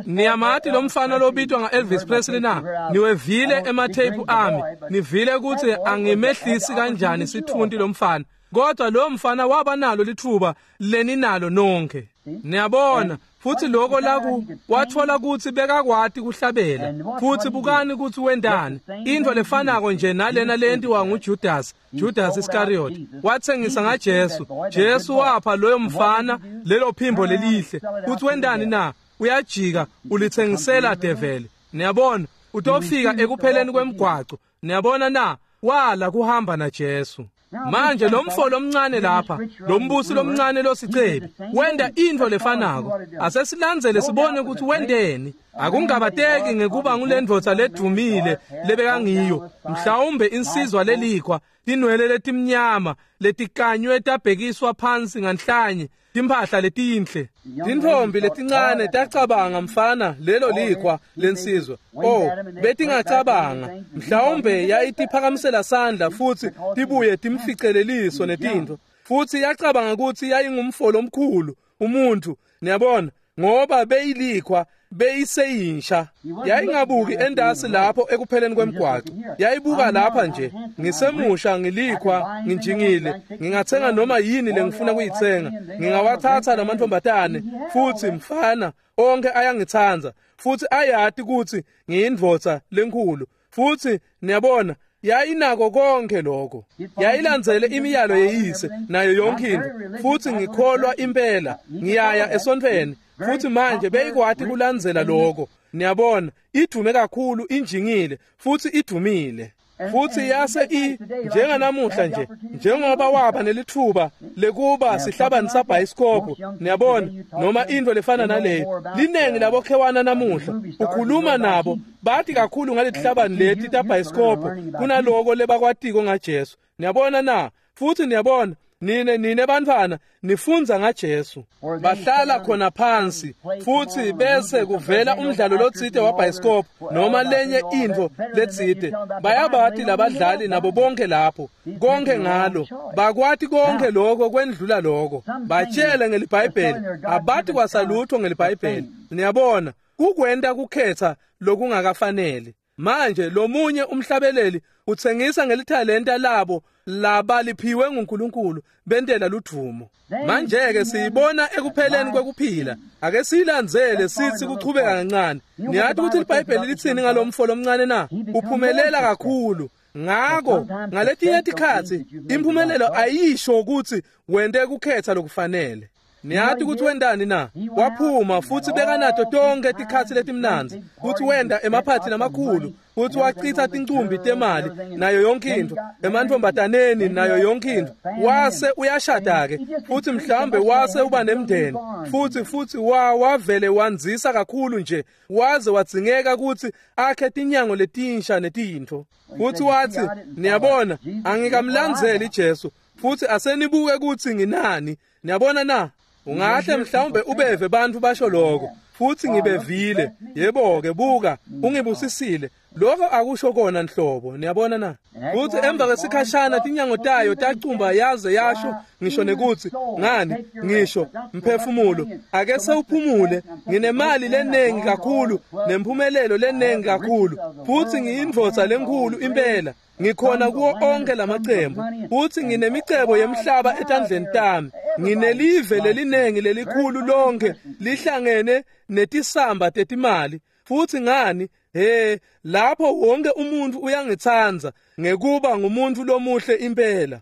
Niyamati lo mfana lobitwa nga-Elvis Presley na? Niwevile ematheyiphu ami, nivile ukuthi angimehlisi kanjani sithunti lo mfana. Kodwa lo mfana waba nalo lithuba leninalo nonke. Niyabona, futhi lokho laku wathola ukuthi bekakwati kuhlabela. Futhi bukani ukuthi wendani. Into lefanako nje nalena lentiwa nguJudas, Judas Iscariot. Wathengisa ngaJesu. Jesu wapha loyo mfana lelo phimbo lelihle. Futhi wendani na? Uyajika ulithengisela develi. Niyabona, utofika ekupheleni kwemgwaco. Niyabona na? Wala kuhamba naJesu. Manje lo mfo lomncane lapha, lo mbusi lomncane losicebi, wenda intfo lefanako. Asesilandzele sibone ukuthi wendeni. Akungabateki ngekuba ngulendvodza ledumile lebekangiyo, mhlawumbe insizwa lelikhwa, tinwele letimnyama letikanywe tabhekiswa phansi nganhlanye, timphahla letinhle. Tintfombi letincane tacabanga, mfana, lelo likhwa lensizwa. Oh, betingacabanga, mhlawumbe yayitiphakamisela sandla futhi tibuye timficeleliso netintfo. Futhi yacabanga ukuthi yayingumfo lomkhulu umuntu, niyabona, ngoba beyilikhwa, beyiseyinsha. Yayingabuki endasi lapho ekupheleni kwemgwaco. Yayibuka lapha nje, ngisemusha, ngilikhwa, nginjingile, ngingathenga noma yini lengifuna kuyithenga, ngingawathatha lamantombazane. Futhi mfana, onke ayangitsandza, futhi ayati ukuthi ngiyindvodza lenkhulu. Futhi niyabona, yayinako konke lokho. Yayilandzele imiyalo yeyise nayo yonke into. Futhi ngikholwa impela, ngiyaya esontfweni. Futhi manje beyikwati kulandzela lokho. Niyabona, idume kakhulu, injingile, futhi idumile. Futhi yase njenganamuhla nje, njengoba waba nelithuba lekuba sihlabani sabhayisikobho, niyabona, noma into lefana naleyo. Linengi labokhewana namuhla, ukhuluma nabo, bathi kakhulu ngaletihlabani leti tabhayisikobho kunaloko lebakwatiko ngaJesu. Niyabona na? Futhi niyabona, nine bantfwana nifundza ngaJesu. Bahlala khona phansi futhi bese kuvela umdlalo lotsite wabhayisikobho noma lenye intfo letsite. Bayabati labadlali nabo bonke lapho, konke ngalo, bakwati konke lokho kwendlula lokho. Batshele ngeliBhayibheli, abati kwasalutho ngeliBhayibheli. Niyabona, kukwenta kukhetha lokungakafanele. Manje lomunye umhlabeleli utsengisa ngelithalenta labo labaliphiwe nguNkulunkulu bentela ludvumo. Manje-ke siyibona ekupheleni kwekuphila. Ake siyilandzele sithi kuchubeka kancane. Niyati ukuthi iBhayibheli litsini ngalomfo lomncane na? Uphumelela kakhulu. Ngako ngaletinye tikhatsi imphumelelo ayisho ukuthi wente kukhetha lokufanele. Niyati ukuthi wendani na? Waphuma futhi bekanato tonke tikhatsi letimnandzi, futhi wenda emaphathi lamakhulu, futhi wachitha tincumbi temali nayo yonke into, emantfombataneni nayo yonke into. Wase uyashada-ke, futhi mhlawumbe wase uba nemndeni, futhi wavele wandzisa kakhulu nje, waze wadzingeka ukuthi akhe tinyango letinsha netintfo. Futhi wathi, niyabona, angikamlandzeli Jesu, futhi asenibuke ukuthi nginani. Niyabona na? Ungahle mhlawumbe ubeve bantfu basho lokho, futhi ngibevile. Yebo-ke, buka, ungibusisile. Lokho akusho kona nhlobo, niyabona na? Futhi emva kwesikhashana tinyango tayo tacumba yaze yasho ngisho nekuthi, ngani, ngisho, mphefumulo, ake sewuphumule, nginemali lenengi kakhulu, nemphumelelo lenengi kakhulu, futhi ngiyindvodza lenkhulu impela. Ngikhona kuwo onke lamacembu, futhi nginemicebo yemhlaba etandleni tami. Nginelive lelinengi lelikhulu lonke lihlangene netisamba tetimali. Futhi ngani, he, lapho wonke umuntu uyangitsandza ngekuba ngumuntu lomuhle impela.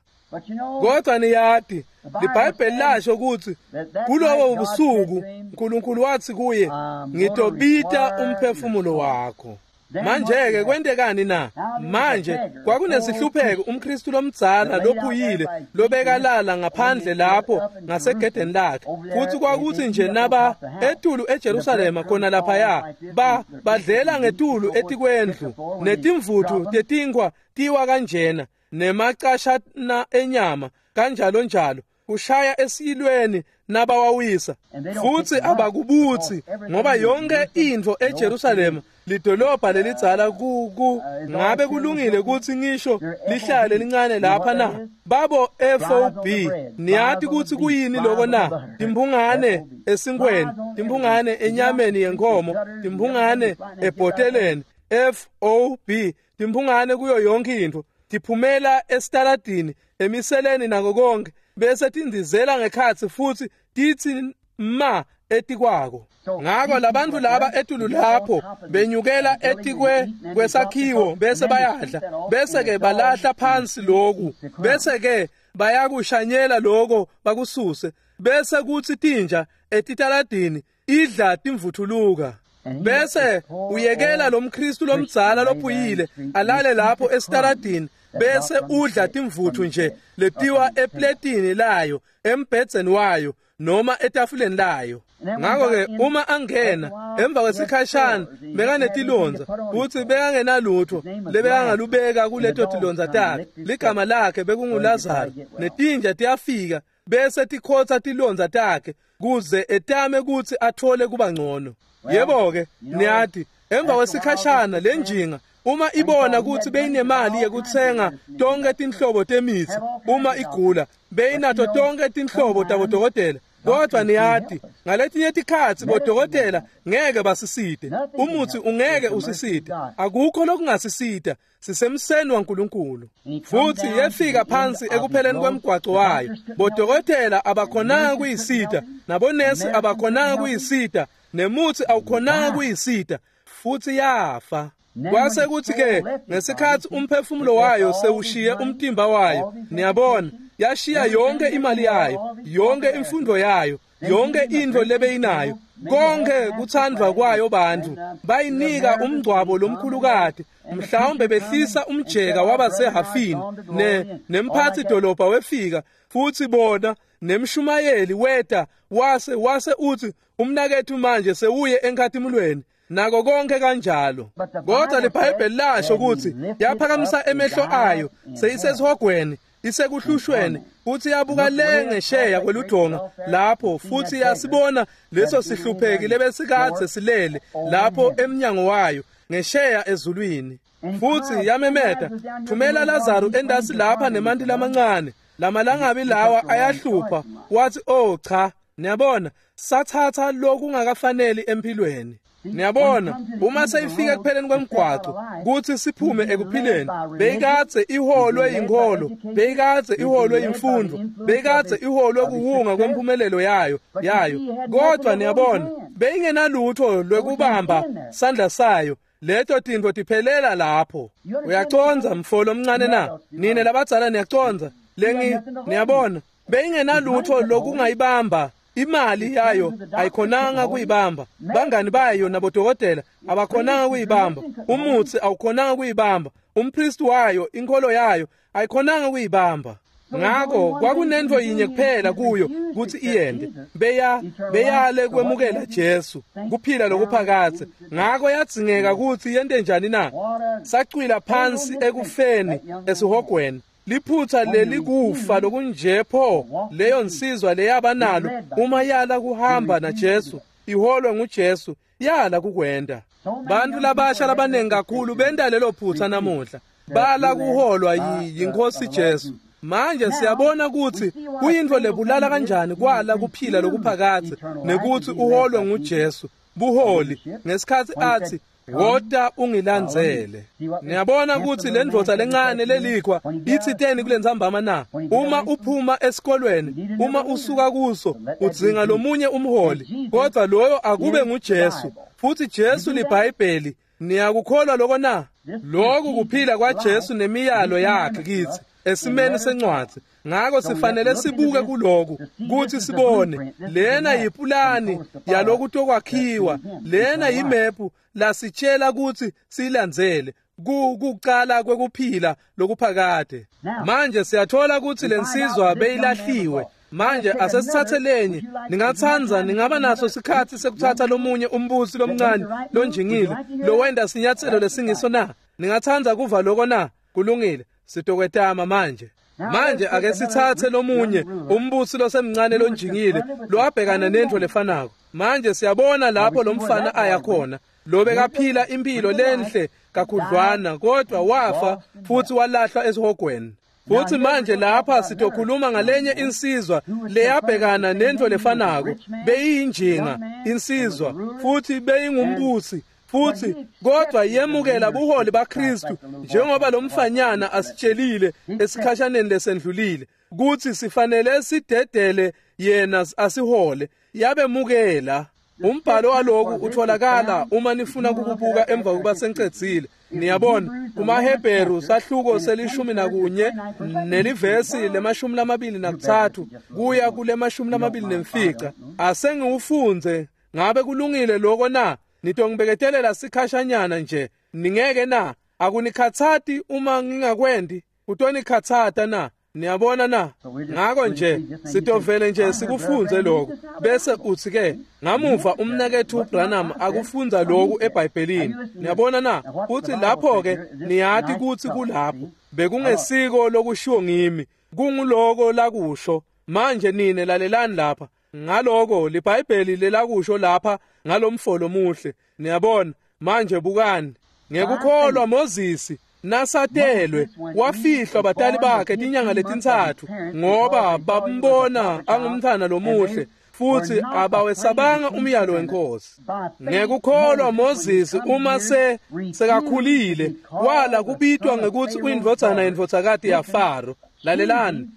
Kodwa niyati, liBhayibheli lasho ukuthi kulowo ubusuku uNkulunkulu wathi kuye, ngitobita umphefumulo wakho. Manje-ke kwentekani na? Manje kwakunesihlupheko, umKristu lomdzala lophuyile lobekalala ngaphandle lapho ngasegedeni lakhe. Futhi kwakuthi nje naba etulu eJerusalema khona laphaya, badlela ngetulu etikwendlu, netimvuthu tetinkwa tiwa kanjena, nemacashana enyama kanjalo njalo. kushaya esiyilweni nabawawisa, futsi abakubutsi ngoba yonke intfo eJerusalema lidolobha lelidzala ku ngabe kulungile kutsi ngisho lihlale lincane lapha na? Babo FOB, niyati kutsi kuyini loko na? Timphungane esinkweni, timphungane enyameni yenkhomo, timphungane ebhoteleni, FOB, timphungane kuyo yonke intfo, tiphumela esitaladini, emiseleni nako konke, bese tindizela ngekhatsi futsi titsi ma etikwako. Ngako labantu laba etulu lapho benyukela etikwe kwesakhiwo bese bayadla, bese ke balahla phansi loku, bese ke bayakushanyela loko bakususe, bese kutsi tinja etitaladini idla timvuthuluka. Bese uyekela lomKristu lomdzala lophuyile alale lapho esitaladini, bese udla timvuthu nje letiwa epletini layo, embhedzeni wayo noma etafuleni layo. Ngakho-ke uma angena emva kwesikhashana bekanetilondza, futsi bekangenalutho lebekangalubeka kuleto tilondza takhe. Ligama lakhe bekunguLazaro, netinja tiyafika bese tikhotsa tilondza takhe kuze etame kutsi athole kuba ngcono. Yebo-ke, niyati, emva kwesikhashana lenjinga uma ibona kutsi beyinemali yekutsenga tonke tinhlobo temitsi, uma igula beyinato tonke tinhlobo tabodokotela. Kodwa niyati, ngaletinye tikhatsi bodokotela ngeke basisite, umutsi ungeke usisite, akukho lokungasisita, sisemseni waNkulunkulu. Futsi yefika phansi ekupheleni kwemgwaco wayo, bodokotela abakhonanga kuyisita, nabonesi abakhonanga kuyisita, nemutsi awukhonanga kuyisita, futsi yafa. Kwase kuthi-ke ngesikhatsi umphefumulo wayo sewushiye umtimba wayo, niyabona, yashiya yonke imali yayo, yonke imfundo yayo, yonke intfo lebeyinayo, konke kuthandvwa kwayo bantfu, bayinika umngcwabo lomkhulukati, mhlawumbe behlisa umjeka wabasehafini, nemphatsi dolobha wefika, futsi bona nemshumayeli weta wase utsi umnaketfu manje sewuye enkhatimulweni, nako konke kanjalo. Kodwa liBhayibheli lasho kutsi yaphakamisa emehlo ayo seyisesihogweni, isekuhlushweni, futhi yabuka le ngesheya kweludonga lapho, futhi yasibona leso sihlupheki lebesikadze silele lapho emnyango wayo ngesheya ezulwini. Futhi yamemeta, thumela Lazaru endasi lapha nemanti lamancane, lamalangabi lawa ayahlupha. Wathi, oh cha, niyabona, sathatha lokungakafaneli empilweni. Niyabona, uma seyifika ekupheleni kwemgwaco kutsi siphume ekuphileni, beyikadze iholwe yinkholo, beyikadze iholwe yimfundvo, beyikadze iholwe kuwunga kwemphumelelo yayo. Kodwa niyabona, beyingenalutho lwekubamba sandla sayo, leto tintfo tiphelela lapho. Uyacondza mfo lomncane na? Nine labadzala niyacondza. Niyabona, beyingenalutho lokungayibamba. Imali yayo ayikhonanga kuyibamba, bangani bayo nabodokotela abakhonanga kuyibamba, umutsi awukhonanga kuyibamba, umpristi wayo, inkholo yayo ayikhonanga kuyibamba. Ngako kwakunentfo yinye kuphela kuyo kutsi iyende, beyale kwemukela Jesu, kuphila lokuphakadze. Ngako yadzingeka kutsi yente njani na? Sacwila phansi ekufeni esihogweni. Liphutha lelikufa lokunje pho leyo nsizwa leyaba nalo uma yala kuhamba naJesu, iholwe nguJesu, yala kukwenda. Bantu labasha labanengi kakhulu benta lelo phutha namuhla, bala kuholwa yiNkhosi Jesu. Manje siyabona kutsi kuyintfo lebulala kanjani kwala kuphila lokuphakadze nekutsi uholwe nguJesu, buholi, ngesikhatsi atsi, wota ungilandzele. Niyabona kutsi lendvodza lencane lelikhwa itsiteni kulentsambama na? Uma uphuma esikolweni, uma usuka kuso, udzinga lomunye umholi, kodwa loyo akube nguJesu. Futhi Jesu liBhayibheli. Niyakukholwa loko na? Loku kuphila kwaJesu nemiyalo yakhe kitsi esimeni sencwadzi. Ngako sifanele sibuke kuloku kutsi sibone lena yipulani yalokutokwakhiwa, lena yimephu lasitshela kutsi siyilandzele kuqala kwekuphila lokuphakade. Manje siyathola kutsi lensizwa beyilahliwe. Manje asesithathe lenye. Ningatsandza, ningaba naso sikhatsi sekuthatha lomunye umbusi lomncane lonjingile lowenda sinyatselo lesingiso na? Ningatsandza kuva loko na? Kulungile, sitokwetama manje. Manje ake sitsatse lomunye umbusi losemncane lonjingile lowabhekana nentfo lefanako. Manje siyabona lapho lomfana aya khona, lo bekaphila impilo lenhle kakhudlwana, kodwa wafa futhi walahlwa esihogweni. Futhi manje lapha sitokhuluma ngalenye insizwa leyabhekana nentfo lefanako. Beyiyinjinga insizwa futhi beyingumbusi futhi, kodwa yemukela buholi baKristu njengoba lomfanyana asitshelile esikhashaneni lesendlulile kuthi sifanele sidedele yena asihole. Yabemukela. Umbhalo waloku utholakala uma nifuna ukubuka emva kokuba sengicedzile. Niyabona, kumaHebheru sahluko se-11 nelivesi le-23 kuya kule-25. Asengiwufundze. Ngabe kulungile lokho na? Nitongibeketelela sikhashanyana nje, ningeke na? Akunikhathati uma ngingakwendi? Kutonikhathata na? Niyabona na? Ngako nje sitovele nje sikufunze lokho, bese uthi ke ngamuva umnakethu Branham akufunza lokhu eBhayibhelini. Niyabona na? Uthi lapho ke niyati kuthi kulapho bekungesiko lokushiwo ngimi, kunguloko lakusho. Manje nine lalelani lapha ngaloko liBhayibheli lelakusho lapha ngalomfolo muhle. Niyabona? Manje bukani. Ngekukholwa Moses nasatelwe wafihlwa batali bakhe tinyanga letintsatfu, ngoba bambona angumntfwana lomuhle futhi abawesabanga umyalo wenkosi. Ngekukholwa Moses uma sekakhulile wala kubitwa ngekuthi uyindvodzana yendvodzakati yaFaro. Lalelani.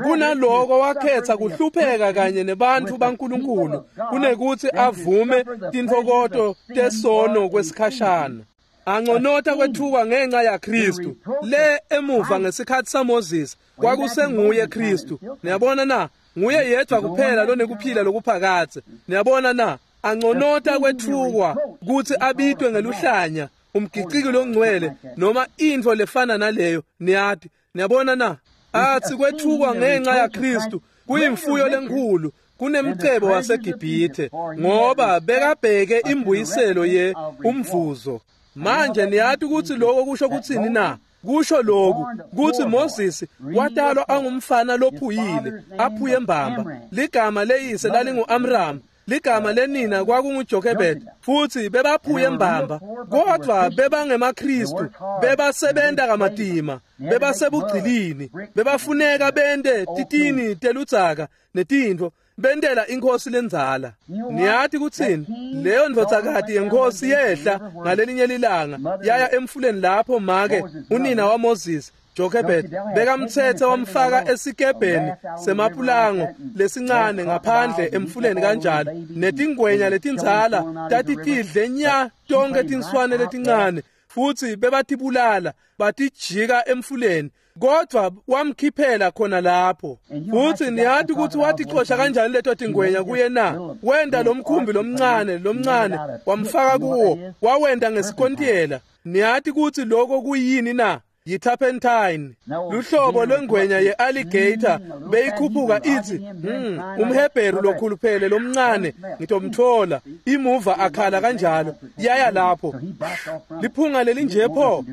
Kunaloko wakhetha kuhlupheka kanye nebantfu baNkulunkulu kunekuthi avume tintfokoto tesono kwesikhashana. Anconota kwethuka ngenxa yaKristu. Le emuva ngesikhathi saMoses kwakusenguye Kristu. Niyabona na? Nguye yedwa kuphela lonekuphila lokuphakadze. Niyabona na? Anconota kwethukwa kuthi abitwe ngeluhlanya, umgiciki longcwele noma intfo lefana naleyo. Niyati. Niyabona na? Athi kwethukwa ngenxa yaKristu kuyimfuyo lenkhulu kunemcebo waseGibhithe, ngoba bekabheke imbuyiselo ye umvuzo. Manje niyati ukuthi lokho kusho kuthini na? Kusho lokhu kuthi Moses watalwa angumfana lophuyile, aphuye mbamba. Ligama leyise lalingu-Amram, ligama lenina kwakunguJochebed, futhi bebaphuye mbamba, kodwa bebangemaKristu, bebasebenta kamatima, bebasebugcilini, bebafuneka bente titini teludzaka netintfo, bentela inkosi lendzala. Niyati kutsini? Leyo ndvodzakati yenkosi yehla ngalelinye lilanga yaya emfuleni lapho make unina waMoses Jochebed bekamthethe wamfaka esikebheni semapulango lesincane ngaphandle emfuleni kanjalo, netingwenya letindzala tatitidle nya tonke tinswane letincane, futhi bebatibulala batijika emfuleni, kodwa wamkhiphela khona lapho. Futhi niyati ukuthi waticosha kanjani leto tingwenya kuye na? Wenda lomkhumbi lomncane wamfaka kuwo, wawenda ngesikontiyela. Niyati ukuthi lokho kuyini na? Yi-turpentine, luhlobo lwengwenya ye-alligator beyikhuphuka ithi umHebheru lokhuluphele lomncane ngitomthola. Imuva akhala kanjalo yaya lapho liphunga lelinje pho.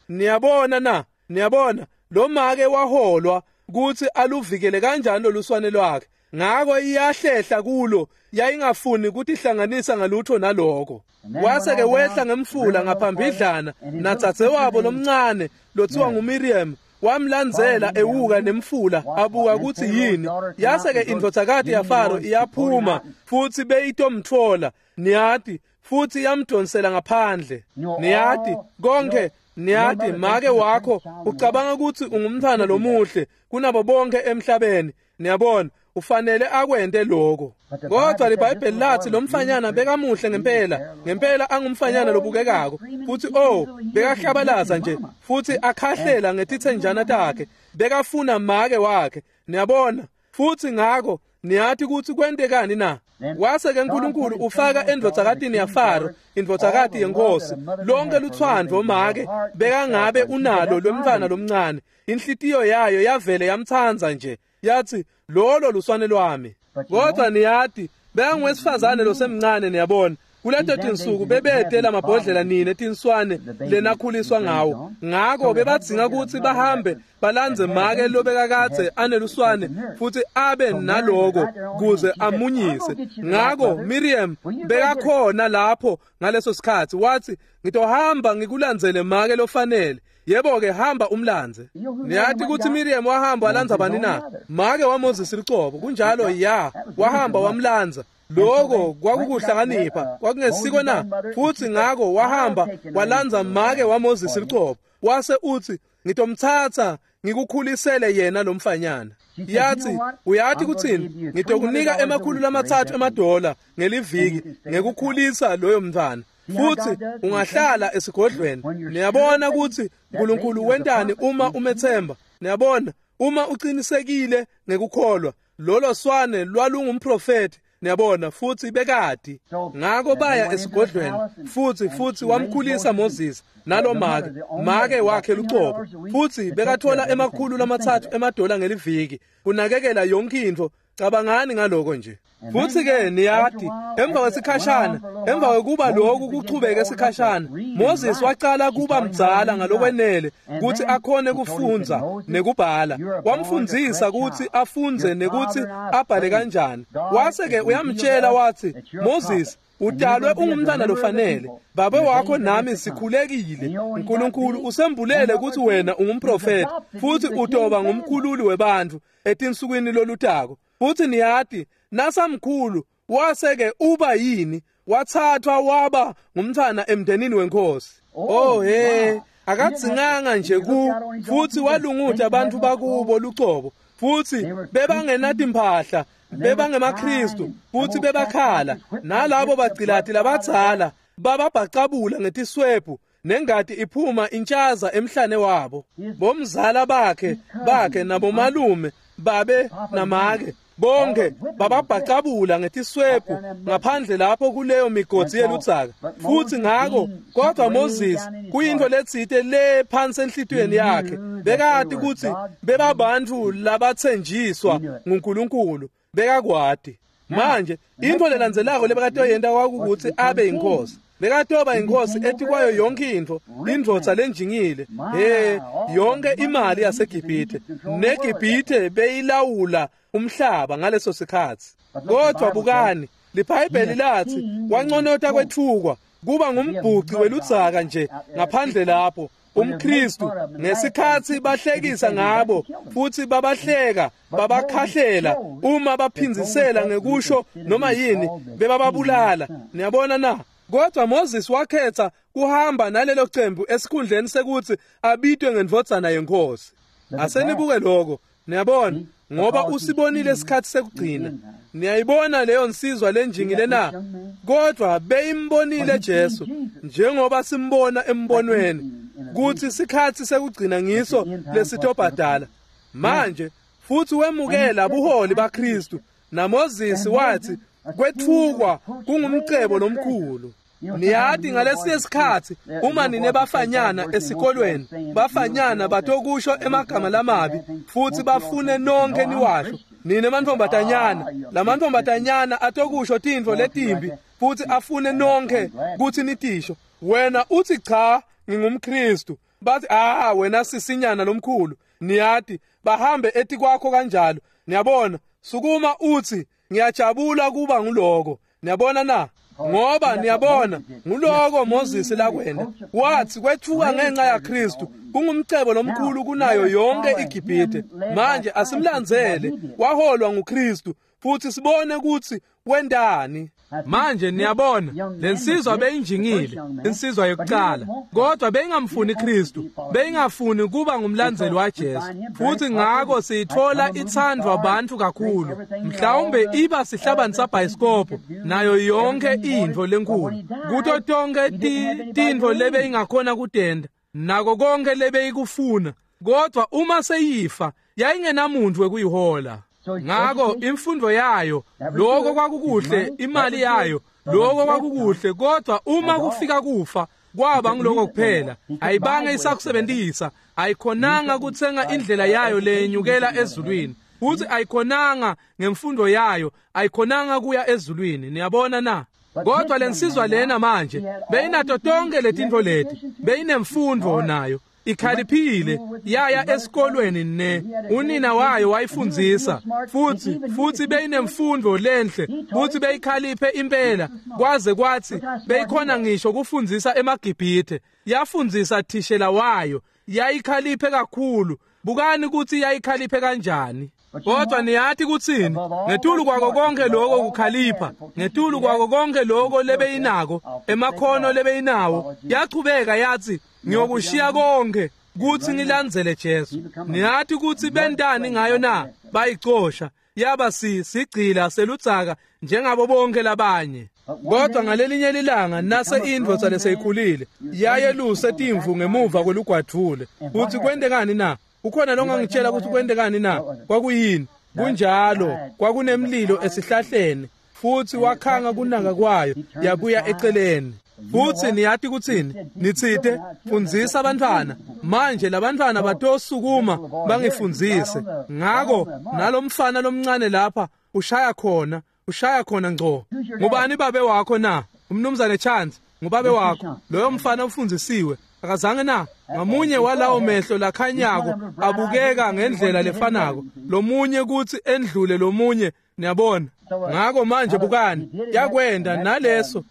Niyabona na? Niyabona lo make waholwa kuthi aluvikele kanjani loluswane lwakhe. Ngako iyahlehla kulo, yayingafuni kutihlanganisa ngalutho naloko. Wase ke wehla ngemfula ngaphambidlana natsatse wabo lomncane lothiwa nguMiriam, wamlandzela ewuka nemfula abuka ukuthi yini. Yase ke indvodzakati yaFaro iyaphuma futhi beyitomtfola, niyati, futhi yamdonsela ngaphandle. Niyati konke. Niyati make wakho ucabanga ukuthi ungumntfwana lomuhle kunabo bonke emhlabeni. Niyabona, ufanele akwente lokho. Kodwa liBhayibheli lathi lomfanyana bekamuhle ngempela, ngempela angumfanyana lobukekako, futhi bekahlabalaza nje futhi akhahlela ngetitsenjana takhe, bekafuna make wakhe. Niyabona, futhi ngako niyati ukuthi kwentekani na? Wase ke uNkulunkulu ufaka endvodzakatini yaFaro, indvodzakati yenkosi, lonke luthwandvo make bekangabe unalo lomntfwana lomncane. Inhlitiyo yayo yavele yamtsandza nje, yathi lolo luswane lwami. Kodwa niyati bekangwesifazane losemncane, niyabona. Kuleto tinsuku bebete lamabhodlela nine tinswane lenakhuliswa ngawo. Ngako bebadzinga kutsi bahambe balandze make lobekakadze aneluswane futhi abe naloko kuze amunyise. Ngako Miriam bekakhona lapho ngaleso sikhatsi, wathi, "Ngitohamba ngikulandzele make lofanele." Yebo-ke, hamba umlandze. Niyati kutsi Miriam wahamba walandza bani na? Make waMoses lucobo. Kunjalo, ya, wahamba wamlandza. Lokho kwakukuhlakanipha, kwakungesiko na? Futhi ngako wahamba walandza make waMoses lucobo. Wase uthi, "Ngitomthatha ngikukhulisele yena lo mfanyana." Yathi, "Uyati kuthini? Ngitokunika $300 ngeliviki ngekukhulisa loyo mntwana. Futhi ungahlala esigodlweni." Niyabona ukuthi uNkulunkulu wentani uma umethemba. Niyabona, uma uqinisekile ngekukholwa, lolo swane lwalungumprofeti. Niyabona, futhi bekadi. Ngako baya esigodlweni futhi wamkhulisa Moses nalo make wakhe lucobo. Futhi bekathola $300 ngeliviki kunakekela yonke intfo. Cabangani ngaloko nje. Futhi ke niyati, emva kwesikhashana, emva kwekuba lokhu kuchubeke esikhashana, Moses wacala kuba mdzala ngalokwenele kutsi akhone kufundza nekubhala. Wamfundzisa kutsi afundze nekutsi abhale kanjani. Wase ke uyamtshela wathi, "Moses, utalwe ungumntwana lofanele. Babe wakho nami sikhulekile. uNkulunkulu usembulele kutsi wena ungumprofeti futhi utoba ngumkhululi webantfu etinsukwini lolutako." Futhi niyati, nasamkhulu wase-ke uba yini? Wathathwa waba ngumntwana emndenini wenkosi. Oh he, akadzinganga nje ku futhi walunguta abantu bakubo lucobo. Futhi bebangenatimphahla, bebangemaKristu, futhi bebakhala. Nalabo bagcilati labadzala bababhacabula ngetiswebhu, nengati iphuma intshaza emhlane wabo. Bomzala bakhe nabomalume babe namake bonke bababhacabula ngetiswebhu ngaphandle lapho kuleyo migodzi yeludzaka. Futhi ngako kodwa Moses kuyintfo letsite le phansi enhlitiyweni yakhe, bekati kutsi bebabantu labatsenjiswa nguNkulunkulu, bekakwati. Manje intfo lelandzelako lebekatoyenta kwakukuthi abe inkosi. Bekatoba inkosi etikwayo yonke intfo, indvodza lenjingile, yonke imali yaseGibhithe. NeGibhithe beyilawula umhlaba ngaleso sikhatsi. Kodwa bukani, liBhayibheli lathi wanconota kwethukwa kuba ngumbhuci weludzaka nje ngaphandle lapho umKristu. Ngesikhatsi bahlekisa ngabo futhi babahleka babakhahlela uma baphindzisela ngekusho noma yini, bebababulala. Niyabona na? Kodwa Moses wakhetha kuhamba nalelo cembu esikhundleni sekuthi abitwe ngendvodzana yenkosi. Asenibuke lokho. Niyabona, ngoba usibonile isikhathi sekugcina. Niyayibona leyo nsizwa lenjingile na? Kodwa beyimbonile Jesu njengoba simbona embonweni kuthi isikhathi sekugcina ngiso lesitobhadala. Manje futhi wemukela buholi baKristu. NaMoses wathi kwethukwa kungumcebo lomkhulu. Niyati ngalesinye isikhatsi uma nine bafanyana esikolweni, bafanyana batokusho emagama lamabi futhi bafune nonke niwasho. Nine mantfombatanyana, lamantfombatanyana atokusho tintfo letimbi futhi afune nonke kutsi nitisho. Wena uthi cha, ngingumKristu. Bathi wena sisinyana lomkhulu. Niyati bahambe etikwakho kanjalo. Niyabona, sukuma uthi ngiyajabula kuba nguloko. Niyabona na? Ngoba niyabona nguloko Moses lakwenda. Wathi kwethuka ngenxa yaKristu kungumcebo lomkhulu kunayo yonke iGibhithe. Manje asimlandzele, waholwa nguKristu futhi sibone ukuthi wendani. Manje niyabona lensizwa beyinjingile, insizwa yokuqala, kodwa beyingamfuni Kristu, beyingafuni kuba ngumlandzeli waJesu. Futhi ngako siyithola ithandwa abantu kakhulu, mhlawumbe iba sihlabani sabhayisikobho nayo yonke intfo lenkulu, kuto tonke tintfo lebeyingakhona kutenda nako konke lebeyikufuna. Kodwa uma seyifa yayingenamuntu wekuyihola. Ngako imfundo yayo, lokho kwakukuhle, imali yayo, lokho kwakukuhle, kodwa uma kufika kufa kwaba ngiloko kuphela. Ayibange isakusebenzisa, ayikhonanga kutsenga indlela yayo lenyukela ezulwini, futhi ayikhonanga ngemfundo yayo, ayikhonanga kuya ezulwini. Niyabona na? Kodwa lensizwa lena manje beyinato tonke letintfo leti, beyinemfundvo nayo, ikhaliphile, yaya esikolweni ne unina wayo wayifundzisa, futhi beyinemfundvo lenhle, futhi beyikhaliphe impela, kwaze kwathi beyikhona ngisho kufundzisa emaGibhithe. Yafundzisa thishela wayo, yayikhaliphe kakhulu. Bukani ukuthi yayikhaliphe kanjani. Kodwa niyati kutsini? Ngetulu kwako konke lokho kukhalipha, ngetulu kwako konke lokho lebeyinako, emakhono lebeyinawo, yachubeka yathi, ngiyokushiya konke kuthi ngilandzele Jesu. Niyati ukuthi bentani ngayo na? Bayicosha, yaba sigcila seludzaka njengabo bonke labanye. Kodwa ngalelinye lilanga nase indvodza leseyikhulile yayeluse timvu ngemuva kwelugwadvule. Uthi kwentekani na? Ukhona longangitshela ukuthi kwentekani na? Kwakuyini? Kunjalo, kwakunemlilo esihlahleni, futhi wakhanga kunaka kwayo, yabuya eceleni. Futhi niyati kutsini? Nitsite fundzisa abantwana. Manje labantwana batosukuma bangifundzise. Ngako nalomfana lomncane lapha ushaya khona ngco. Ngubani babe wakho na? Umnumzane Chance, ngubabe wakho. Loyo mfana ufundzisiwe. Akazange na? Ngamunye walawo mehlo lakhanyako abukeka ngendlela lefanako, lomunye kuthi endlule lomunye, niyabona. Ngako manje bukani, yakwenda naleso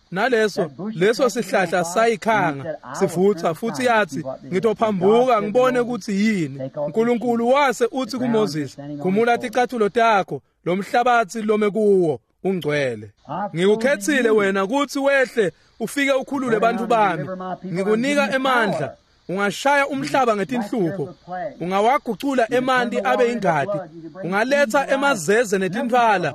leso sihlahla sayikhanga sivutha, futhi yathi, ngitophambuka ngibone ukuthi yini. uNkulunkulu wase uthi kuMoses, khumula ticathulo takho, lo mhlabathi lome kuwo ungcwele. Ngikukhethile wena ukuthi wehle ufike ukhulule bantu bami. Ngikunika emandla. Ungashaya umhlaba ngetinhlupho, ungawagucula emanti abe ingadi, ungaletha emazeze netintfwala.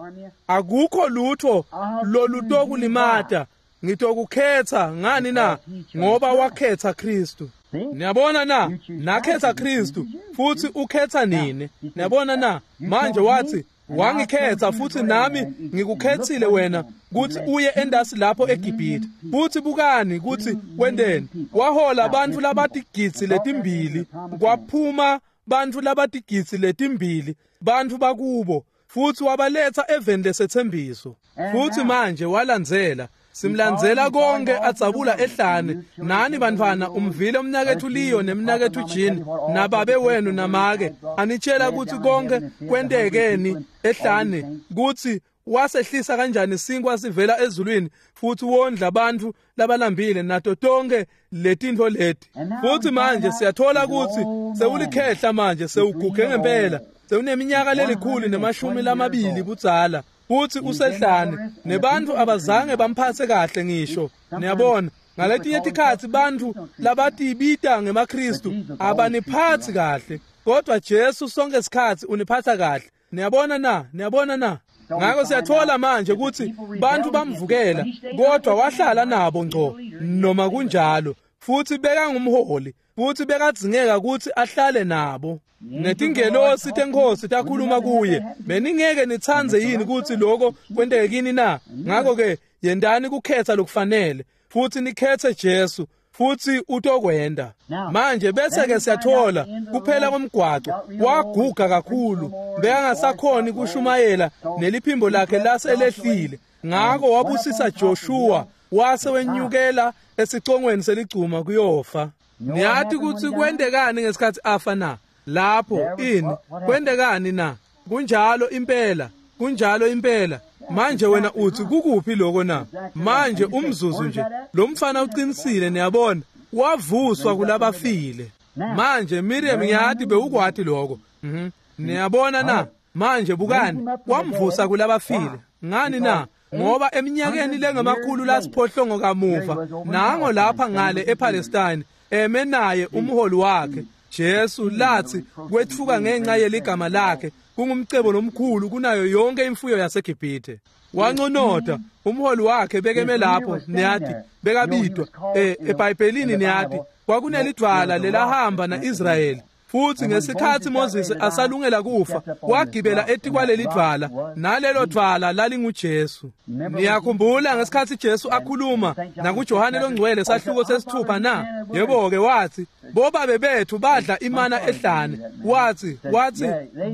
Akukho lutho lolutokulimata. Ngitokukhetha ngani na? Ngoba wakhetha Kristu. Niyabona na? Nakhetha Kristu, futhi ukhetha nini. Niyabona na? Manje wathi, wangikhetha futhi nami ngikukhethile wena kuthi uye endasi lapho eGibhithe. Futhi bukani kuthi wendeni. Wahola abantu labatigidzi letimbili, kwaphuma bantfu labatigidzi letimbili, bantfu bakubo, futhi wabaletha eveni lesethembiso. Futhi manje walandzela, simlandzela konke adzabula ehlane. Nani bantfwana umvile umnaketfu Leo nemnaketfu Jean nababe wenu namake anitshela ukuthi konke kwentekeni ehlane, kuthi wasehlisa kanjani sinkwa sivela ezulwini futhi wondla abantu labalambile nato tonke letintfo leti. Futhi manje siyathola ukuthi sewulikhehla manje, sewuguge ngempela, sewuneminyaka lelikhulu ne-20 budzala, futhi usehlane, nebantu abazange bamphathe kahle ngisho. Niyabona, ngaletinye tikhatsi bantfu labatibita ngemaKristu abaniphatsi kahle, kodwa Jesu sonke sikhatsi uniphatha kahle. Niyabona na? Niyabona na? Ngako siyathola manje ukuthi bantu bamvukela, kodwa wahlala nabo ngco noma kunjalo, futhi bekangumholi, futhi bekadzingeka ukuthi ahlale nabo. Netingelosi tenkosi takhuluma kuye. Beningeke nitsandze yini ukuthi lokho kwenteke kini na? Ngako ke yendani kukhetha lokufanele, futhi nikhethe Jesu, futhi utokwenda. Manje bese ke siyathola kuphela komgwaco, waguga kakhulu, bekangasakhoni kushumayela, neliphimbo lakhe laselehlile. Ngako wabusisa Joshua, wase wenyukela esicongweni seligcuma kuyofa. Niyati ukuthi kwentekani ngesikhathi afa na? Lapho ini kwentekani na? Kunjalo impela, kunjalo impela. Manje wena uthi kukuphi lokho na? Manje umzuzu nje, lo mfana uqinisile, niyabona, wavuswa kulabafile. Manje Miriam, ngiyathi bewukwati lokho. Niyabona na? Manje bukani, wamvusa kulabafile. Ngani na? Ngoba eminyakeni lengamakhulu lasiphohlongo kamuva, nango lapha ngale ePalestine, eme naye umholi wakhe Jesu, lathi kwetfuka ngenxa yeligama lakhe kungumcebo lomkhulu kunayo yonke imfuyo yaseGibhithe. Wanconota umholi wakhe bekeme lapho, niyathi bekabidwa eBhayibhelini, niyathi kwakunelidvwala lelahamba naIsrayeli. Futhi ngesikhathi Moses asalungela kufa, wagibela etikwalelidvwala, nalelo dvwala lalinguJesu. Niyakhumbula ngesikhathi Jesu akhuluma nakuJohane longcwele sahluko sesithupha na? Yebo ke, wathi bobabe bethu badla imana ehlane. Wathi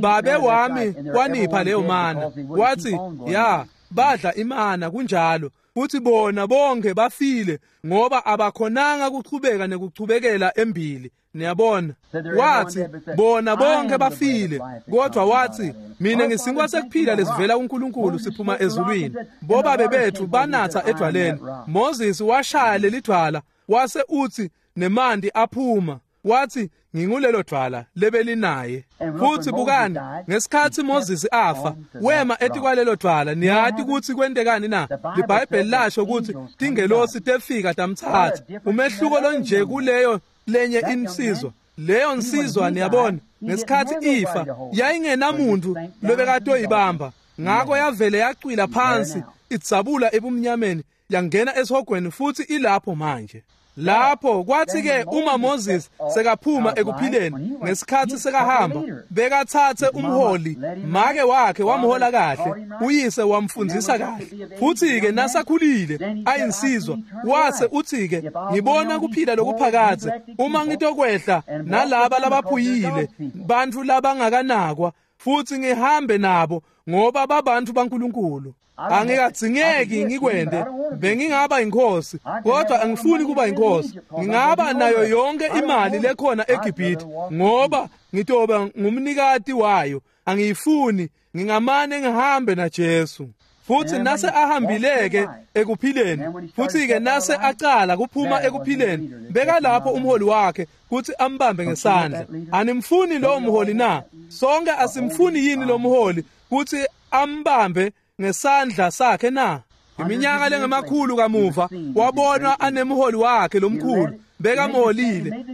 babe wami wanipha leyo mana. Wathi ya, Badla imana kunjalo. Futhi bona bonke bafile ngoba abakhonanga kuchubeka nekuchubekela embili. Niyabona? Wathi bona bonke bafile, kodwa wathi mina ngisinkwa sekuphila lesivela kuNkulunkulu siphuma ezulwini. Bobabe bethu banatha edwaleni. Moses washaya leli dwala wase uthi nemanti aphuma. Wathi ngingulelo dwala lebelinaye. Futhi bukani, ngesikhathi Moses afa, wema etikwalelo dwala. Niyati ukuthi kwentekani na? LiBhayibheli lasho ukuthi tingelosi tefika tamthatha. Umehluko lonje kuleyo lenye insizwa. Leyo nsizwa niyabona, ngesikhathi ifa yayingenamuntu lobekatoyibamba. Ngakho yavele yacwila phansi, idzabula ebumnyameni, yangena esihogweni futhi ilapho manje. Lapho kwathi ke uma Moses sekaphuma ekuphileni ngesikhathi sekahamba, bekathathe umholi, make wakhe wamhola kahle, uyise wamfundzisa kahle. Futhi ke nasakhulile ayinsizwa, wase uthi ke ngibona kuphila lokuphakadze uma ngitokwehla nalaba labaphuyile, bantfu labangakanakwa, futhi ngihambe nabo ngoba babantu baNkulunkulu. Angikadzingeki ngikwende, bengingaba inkosi, kodwa angifuni kuba inkosi. Ngingaba nayo yonke imali lekhona eGibhithe ngoba ngitoba ngumnikati wayo. Angiyifuni, ngingamane ngihambe naJesu. Futhi nase ahambileke ekuphileni, futhi ke nase acala kuphuma ekuphileni, bekalapho umholi wakhe kuthi ambambe ngesandla. Animfuni lo mholi na? Sonke asimfuni yini lo mholi kuthi ambambe ngesandla sakhe na? Iminyaka lengemakhulu kamuva wabonwa anemholi wakhe lomkhulu, bekamholile,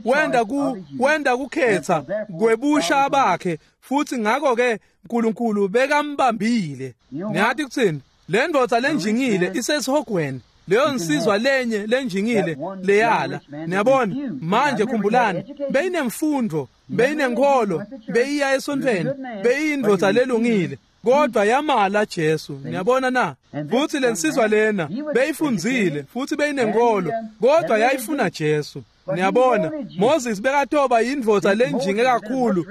wenda kukhetha kwebusha bakhe, futhi ngakho ke uNkulunkulu bekambambile. Niyathi kuthini? Le ndoda lenjingile isesihogweni. Leyo nsizwa lenye lenjingile leyala. Niyabona? Manje khumbulani, beyinemfundo, beyinenkolo, beyiya esontweni, beyindoda lelungile, kodwa yamala Jesu. Niyabona na? Futhi lensizwa lena beyifundzile futhi beyinenkolo, kodwa yayifuna Jesu. Niyabona, Moses bekatoba yindvodza lenjinge kakhulu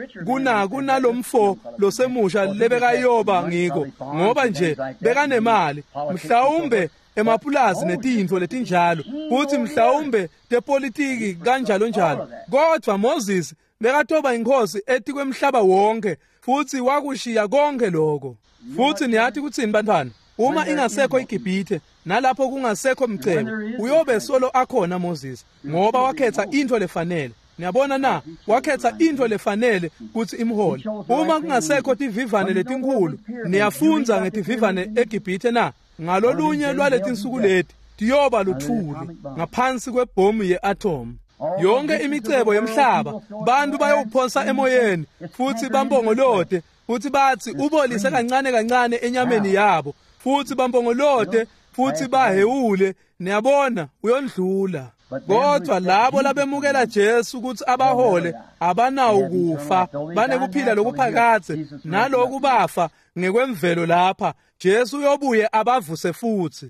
kunalomfo losemusha lebekayoba ngiko, ngoba nje bekanemali, mhlawumbe emapulazi netintfo letinjalo, kuthi mhlawumbe tepolitiki kanjalo njalo. Kodwa Moses bekatoba inkosi etikwemhlaba wonke, futhi wakushiya konke lokho. Futhi niyathi kuthini bantwana? Uma ingasekho iGibhithe nalapho kungasekho mcebo, uyobe solo akhona Moses, ngoba wakhetha into lefanele. Niyabona na? Wakhetha into lefanele kuthi imhole. Uma kungasekho tivivane letinkulu, niyafunza ngetivivane eGibhithe na? Ngalolunye lwaletinsuku leti tiyoba luthuli ngaphansi kwebhomu ye-atom. Yonke imicebo yemhlaba bantu bayowuphonsa emoyeni futhi bambongolote, futhi bathi ubolise kancane kancane enyameni yabo, futhi bambongolote futhi bahewule. Niyabona, uyondlula. Kodwa labo labemukela Jesu ukuthi abahole abanawo kufa, banekuphila lokuphakadze. Naloku bafa ngekwemvelo lapha, Jesu uyobuye abavuse futhi.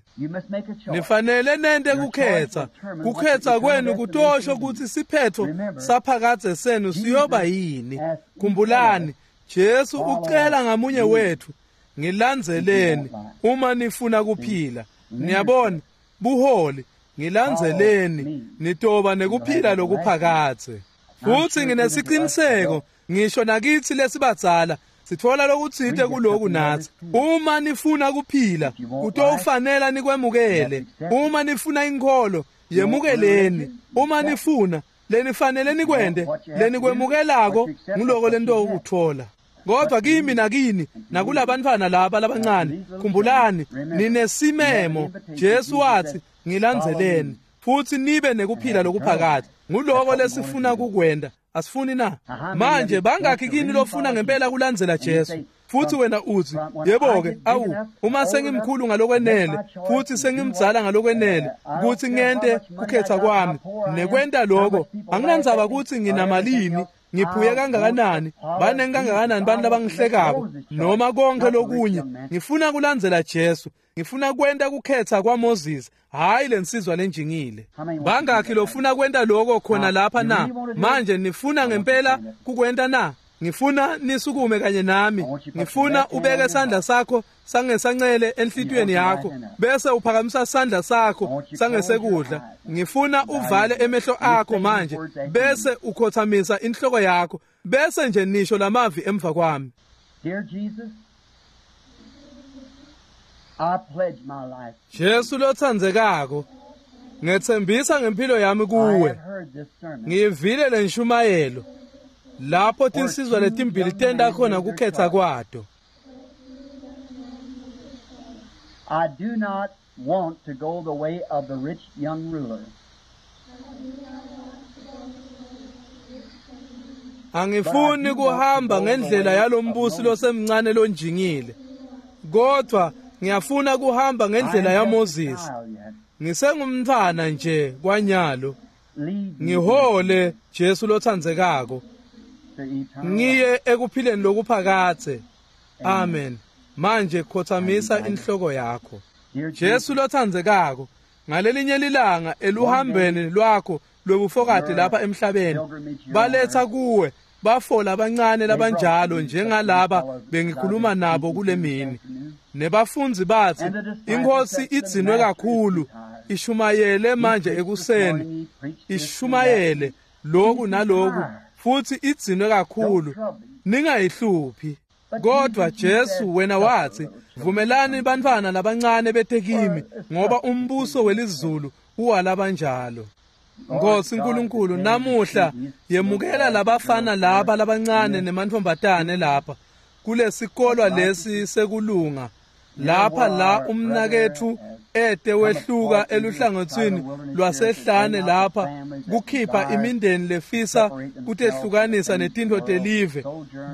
Nifanele nente kukhetha. Kukhetha kwenu kutosho ukuthi siphetho saphakadze senu siyoba yini. Khumbulani, Jesu ucela ngamunye wethu, ngilandzeleni uma nifuna kuphila. Niyabona, buholi, ngilandzeleni nitoba nekuphila lokuphakadze. Futhi nginesiqiniseko ngisho nakithi lesibadzala sithola lokutsite kuloku nathi. Uma nifuna kuphila, kutofanela nikwemukele. Uma nifuna inkholo, yemukeleni. Uma nifuna lenifanele nikwende, lenikwemukelako nguloko lento ukuthola. Kodwa kimi nakini nakulabantwana laba labancane, khumbulani ninesimemo. Jesu wathi ngilandzeleni futhi nibe nekuphila lokuphakade. Nguloko lesifuna kukwenda, asifuni na? Manje bangakhi kini lofuna ngempela kulandzela Jesu? Futhi wena uthi, yebo ke, awu, uma sengimkhulu ngalokwenele futhi sengimdzala ngalokwenele ukuthi ngente kukhetha kwami nekwenta lokho, anginandzaba ukuthi nginamalini, ngiphuye kangakanani, banengi kangakanani bantu labangihlekako noma konke lokunye. Ngifuna kulandzela Jesu. Ngifuna kwenta kukhetha kwaMoses, hayi lensizwa lenjingile. Bangakhi lofuna kwenta lokho khona lapha na? Manje nifuna ngempela kukwenta na? Ngifuna nisukume kanye nami. Ngifuna ubeke sandla sakho sangesancele enhlitiyweni yakho, bese uphakamisa sandla sakho sangesekudla. Ngifuna uvale emehlo akho manje, bese ukhothamisa inhloko yakho, bese nje nisho lamavi emva kwami. Dear Jesus, I pledge my life. Jesu lotsandzekako, ngetsembisa ngempilo yami I kuwe. have heard this sermon. Ngiyivile lenshumayelo lapho tinsizwa letimbili tenta khona kukhetha kwato. I do not want to go the way of the rich young ruler. Angifuni kuhamba ngendlela yalombusi losemncane lonjingile, kodwa ngiyafuna kuhamba ngendlela I am just a yaMoses. child yet. Ngisengumntfwana nje kwanyalo. Lead me Ngihole Jesu lotsandzekako, to eternal life. ngiye ekuphileni lokuphakadze. Amen. Manje khothamisa inhloko yakho. Dear Jesu lotsandzekako, ngalelinye lilanga eluhambeni lwakho lwebufokati lapha emhlabeni, baletha kuwe bafo labancane labanjalo njengalaba bengikhuluma nabo kule mini. Nebafundzi bathi, inkosi idzinwe kakhulu, ishumayele manje ekuseni, ishumayele lokhu naloku, futhi idzinwe kakhulu, ningayihluphi. Kodwa Jesu wena wathi, vumelani bantfwana labancane bete kimi, ngoba umbuso welizulu uwalabanjalo. Nkosi Nkulunkulu, namuhla yemukela labafana laba labancane nemantfombatane lapha kulesikolwa lesi sekulunga, lapha la umnaketfu ete wehluka eluhlangotsini lwasehlane lapha kukhipha imindeni lefisa kutehlukanisa netintfo telive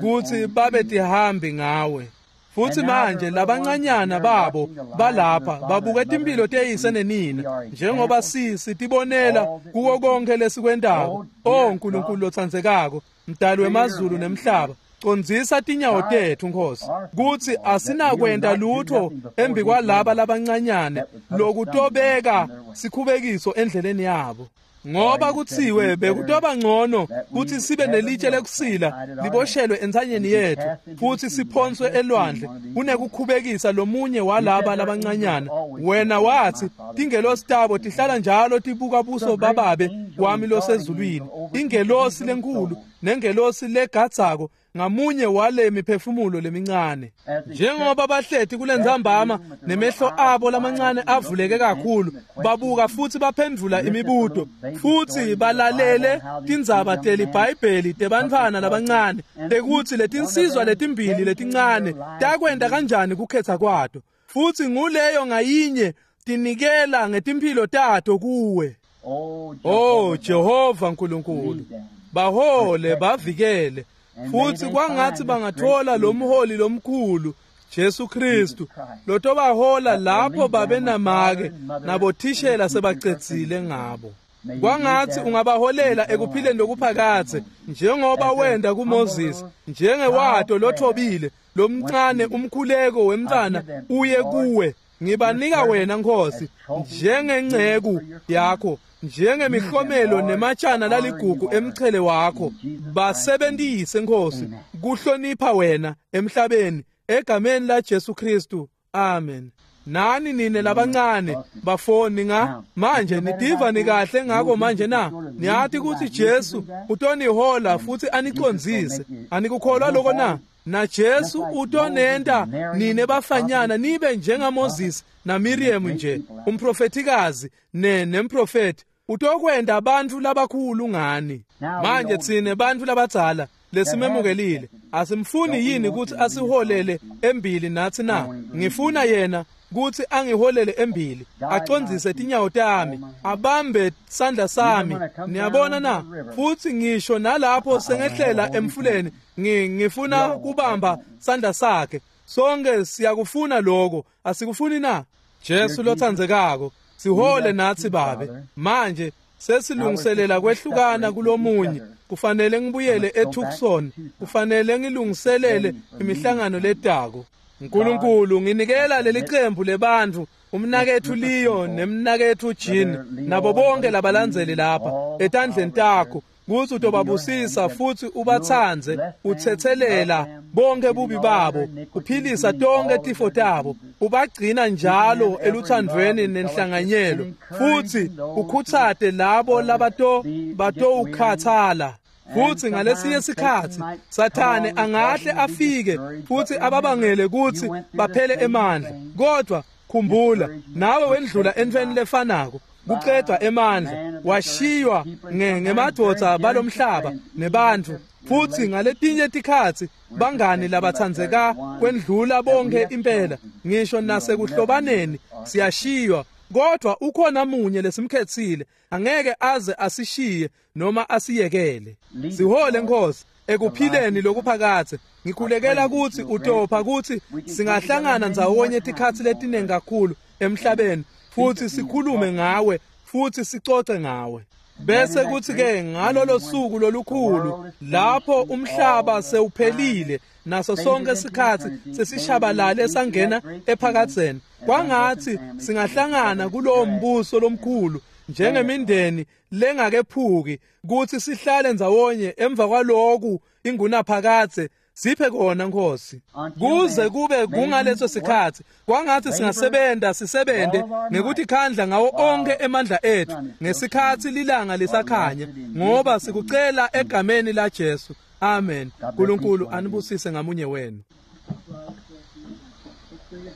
kutsi babe tihambi ngawe. Futhi manje labancanyana babo balapha babuke timphilo teyise nenina njengoba sitibonela kuko konke lesikwentako. O Nkulunkulu lotsandzekako, mdali wemazulu nemhlaba, condzisa tinyawo tetfu Nkosi, kutsi asinakwenta lutho embi kwalaba labancanyane lokutobeka sikhubekiso endleleni yabo. Ngoba kutsiwe bekutoba ngcono kutsi sibe nelitshe lekusila liboshelwe entsanyeni yetfu futhi siphonswe elwandle kunekukhubekisa lomunye walaba labancanyana. Wena wathi tingelosi tabo tihlala njalo tibuka buso bababe wami losezulwini, ingelosi lenkulu nengelosi legadzako ngamunye wale miphefumulo lemincane. Njengoba bahleti kulentsambama nemehlo abo lamancane avuleke kakhulu, babuka futhi baphendvula imibuto, futhi balalele tindzaba teliBhayibheli tebantfwana labancane tekutsi letinsizwa letimbili letincane takwenta kanjani kukhetha kwato, futhi nguleyo ngayinye tinikela ngetimphilo tato kuwe. Oh Oh Jehova Nkulunkulu, bahole bavikele, futhi kwangathi bangathola lo mholi lomkhulu Jesu Kristu lotobahola lapho babe namake nabothishela sebacedzile ngabo. Kwangathi ungabaholela ekuphileni lokuphakadze njengoba wenda kuMoses, njengewato lothobile lomncane umkhuleko wemntfwana uye kuwe. Ngibanika wena Nkosi njengenceku yakho, njengemihlomelo nematshana laligugu emchele wakho. Basebentise Nkosi kuhlonipha wena emhlabeni, egameni la Jesu Kristu. Amen. Nani nine labancane bafoni nga manje nitiva nikahle ngako manje na? Niyati kutsi Jesu utonihola futhi anicondzise. Anikukholwa lokho na? Na Jesu utonenta nine bafanyana nibe njengaMoses na Miriam nje, umprofetikazi nemprofeti. Utokwenta bantfu labakhulu ngani. Manje tsine bantfu labadzala lesimemukelile, asimfuni yini kutsi asiholele embili nathi na? Ngifuna yena kutsi angiholele embili, acondzise tinyawo tami, abambe sandla sami. Niyabona na? Futhi ngisho nalapho sengehlela emfuleni, ngifuna kubamba sandla sakhe. Sonke siyakufuna lokho, asikufuni na? Jesu lotsandzekako, sihole nathi Babe. Manje sesilungiselela kwehlukana kulomunye. Kufanele ngibuyele eTucson, kufanele ngilungiselele imihlangano letako. Nkulunkulu, nginikela leli qembu lebantfu, umnaketfu Leo nemnaketfu Jean nabo bonke labalandzeli lapha etandleni takho. kutsi utobabusisa futsi ubatsandze, utsetselela bonke bubi babo, uphilisa tonke tifo tabo, ubagcina njalo eluthandvweni nenhlanganyelo, futsi ukhutsate labo labatowukhathala. Futsi ngalesinye sikhatsi Sathane angahle afike futsi ababangele kutsi baphele emandla, kodwa khumbula nawe wendlula entfweni lefanako, kucedwa emandla, washiywa ngemadvodza balomhlaba nebantfu, futsi ngaletinye tikhatsi bangani labatsandzeka kwendlula bonke impela, ngisho nasekuhlobaneni siyashiywa, kodwa ukhona munye lesimkhetsile, angeke aze asishiye noma asiyekele. Sihole Nkosi ekuphileni lokuphakathe. Ngikhulekela kutsi utopha kutsi singahlangana ndzawonye tikhatsi letiningi kakhulu emhlabeni, futsi sikhulume ngawe futsi sicoce ngawe. Bese kuthi ke ngalolo suku lolukhulu lapho umhlaba sewuphelile naso sonke sikhatsi sesishabalale sangena ephakadzeni, kwangatsi singahlangana kulowo mbuso lomkhulu njengemindeni lengakephuki, kutsi sihlale ndzawonye emva kwaloku ingunaphakadze. Siphe kona Nkosi, kuze kube kungaleso sikhatsi, kwangatsi singasebenta sisebente ngekutikhandla ngawo onke emandla etfu ngesikhatsi lilanga lisakhanya, ngoba sikucela egameni la Jesu. Amen. Nkulunkulu anibusise ngamunye wenu.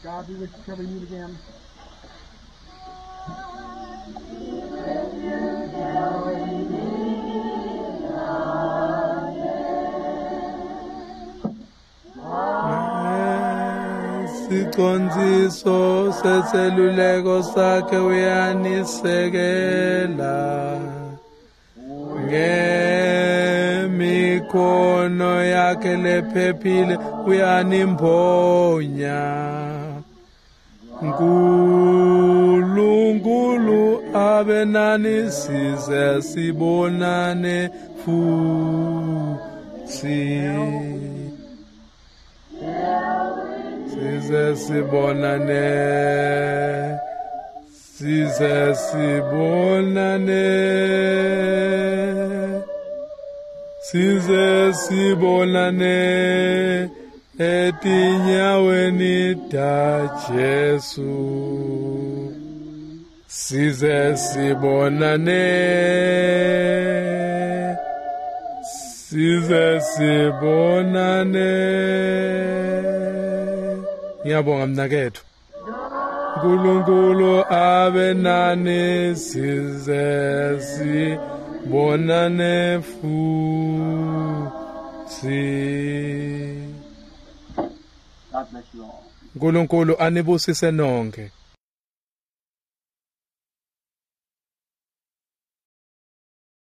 God be with you till we meet again. Sicondziso seseluleko sakhe uyanisekela, ngemikhono yakhe lephephile uyanimponya. Nkulunkulu abe nani size sibonane futsi, size sibonane, size sibonane, size sibonane etinyaweni ta Jesu, size sibonane, size sibonane. Ngiyabonga mnaketfu. Nkulunkulu abe nani size sibonane futsi. God bless you all. Nkulunkulu anibusise nonke.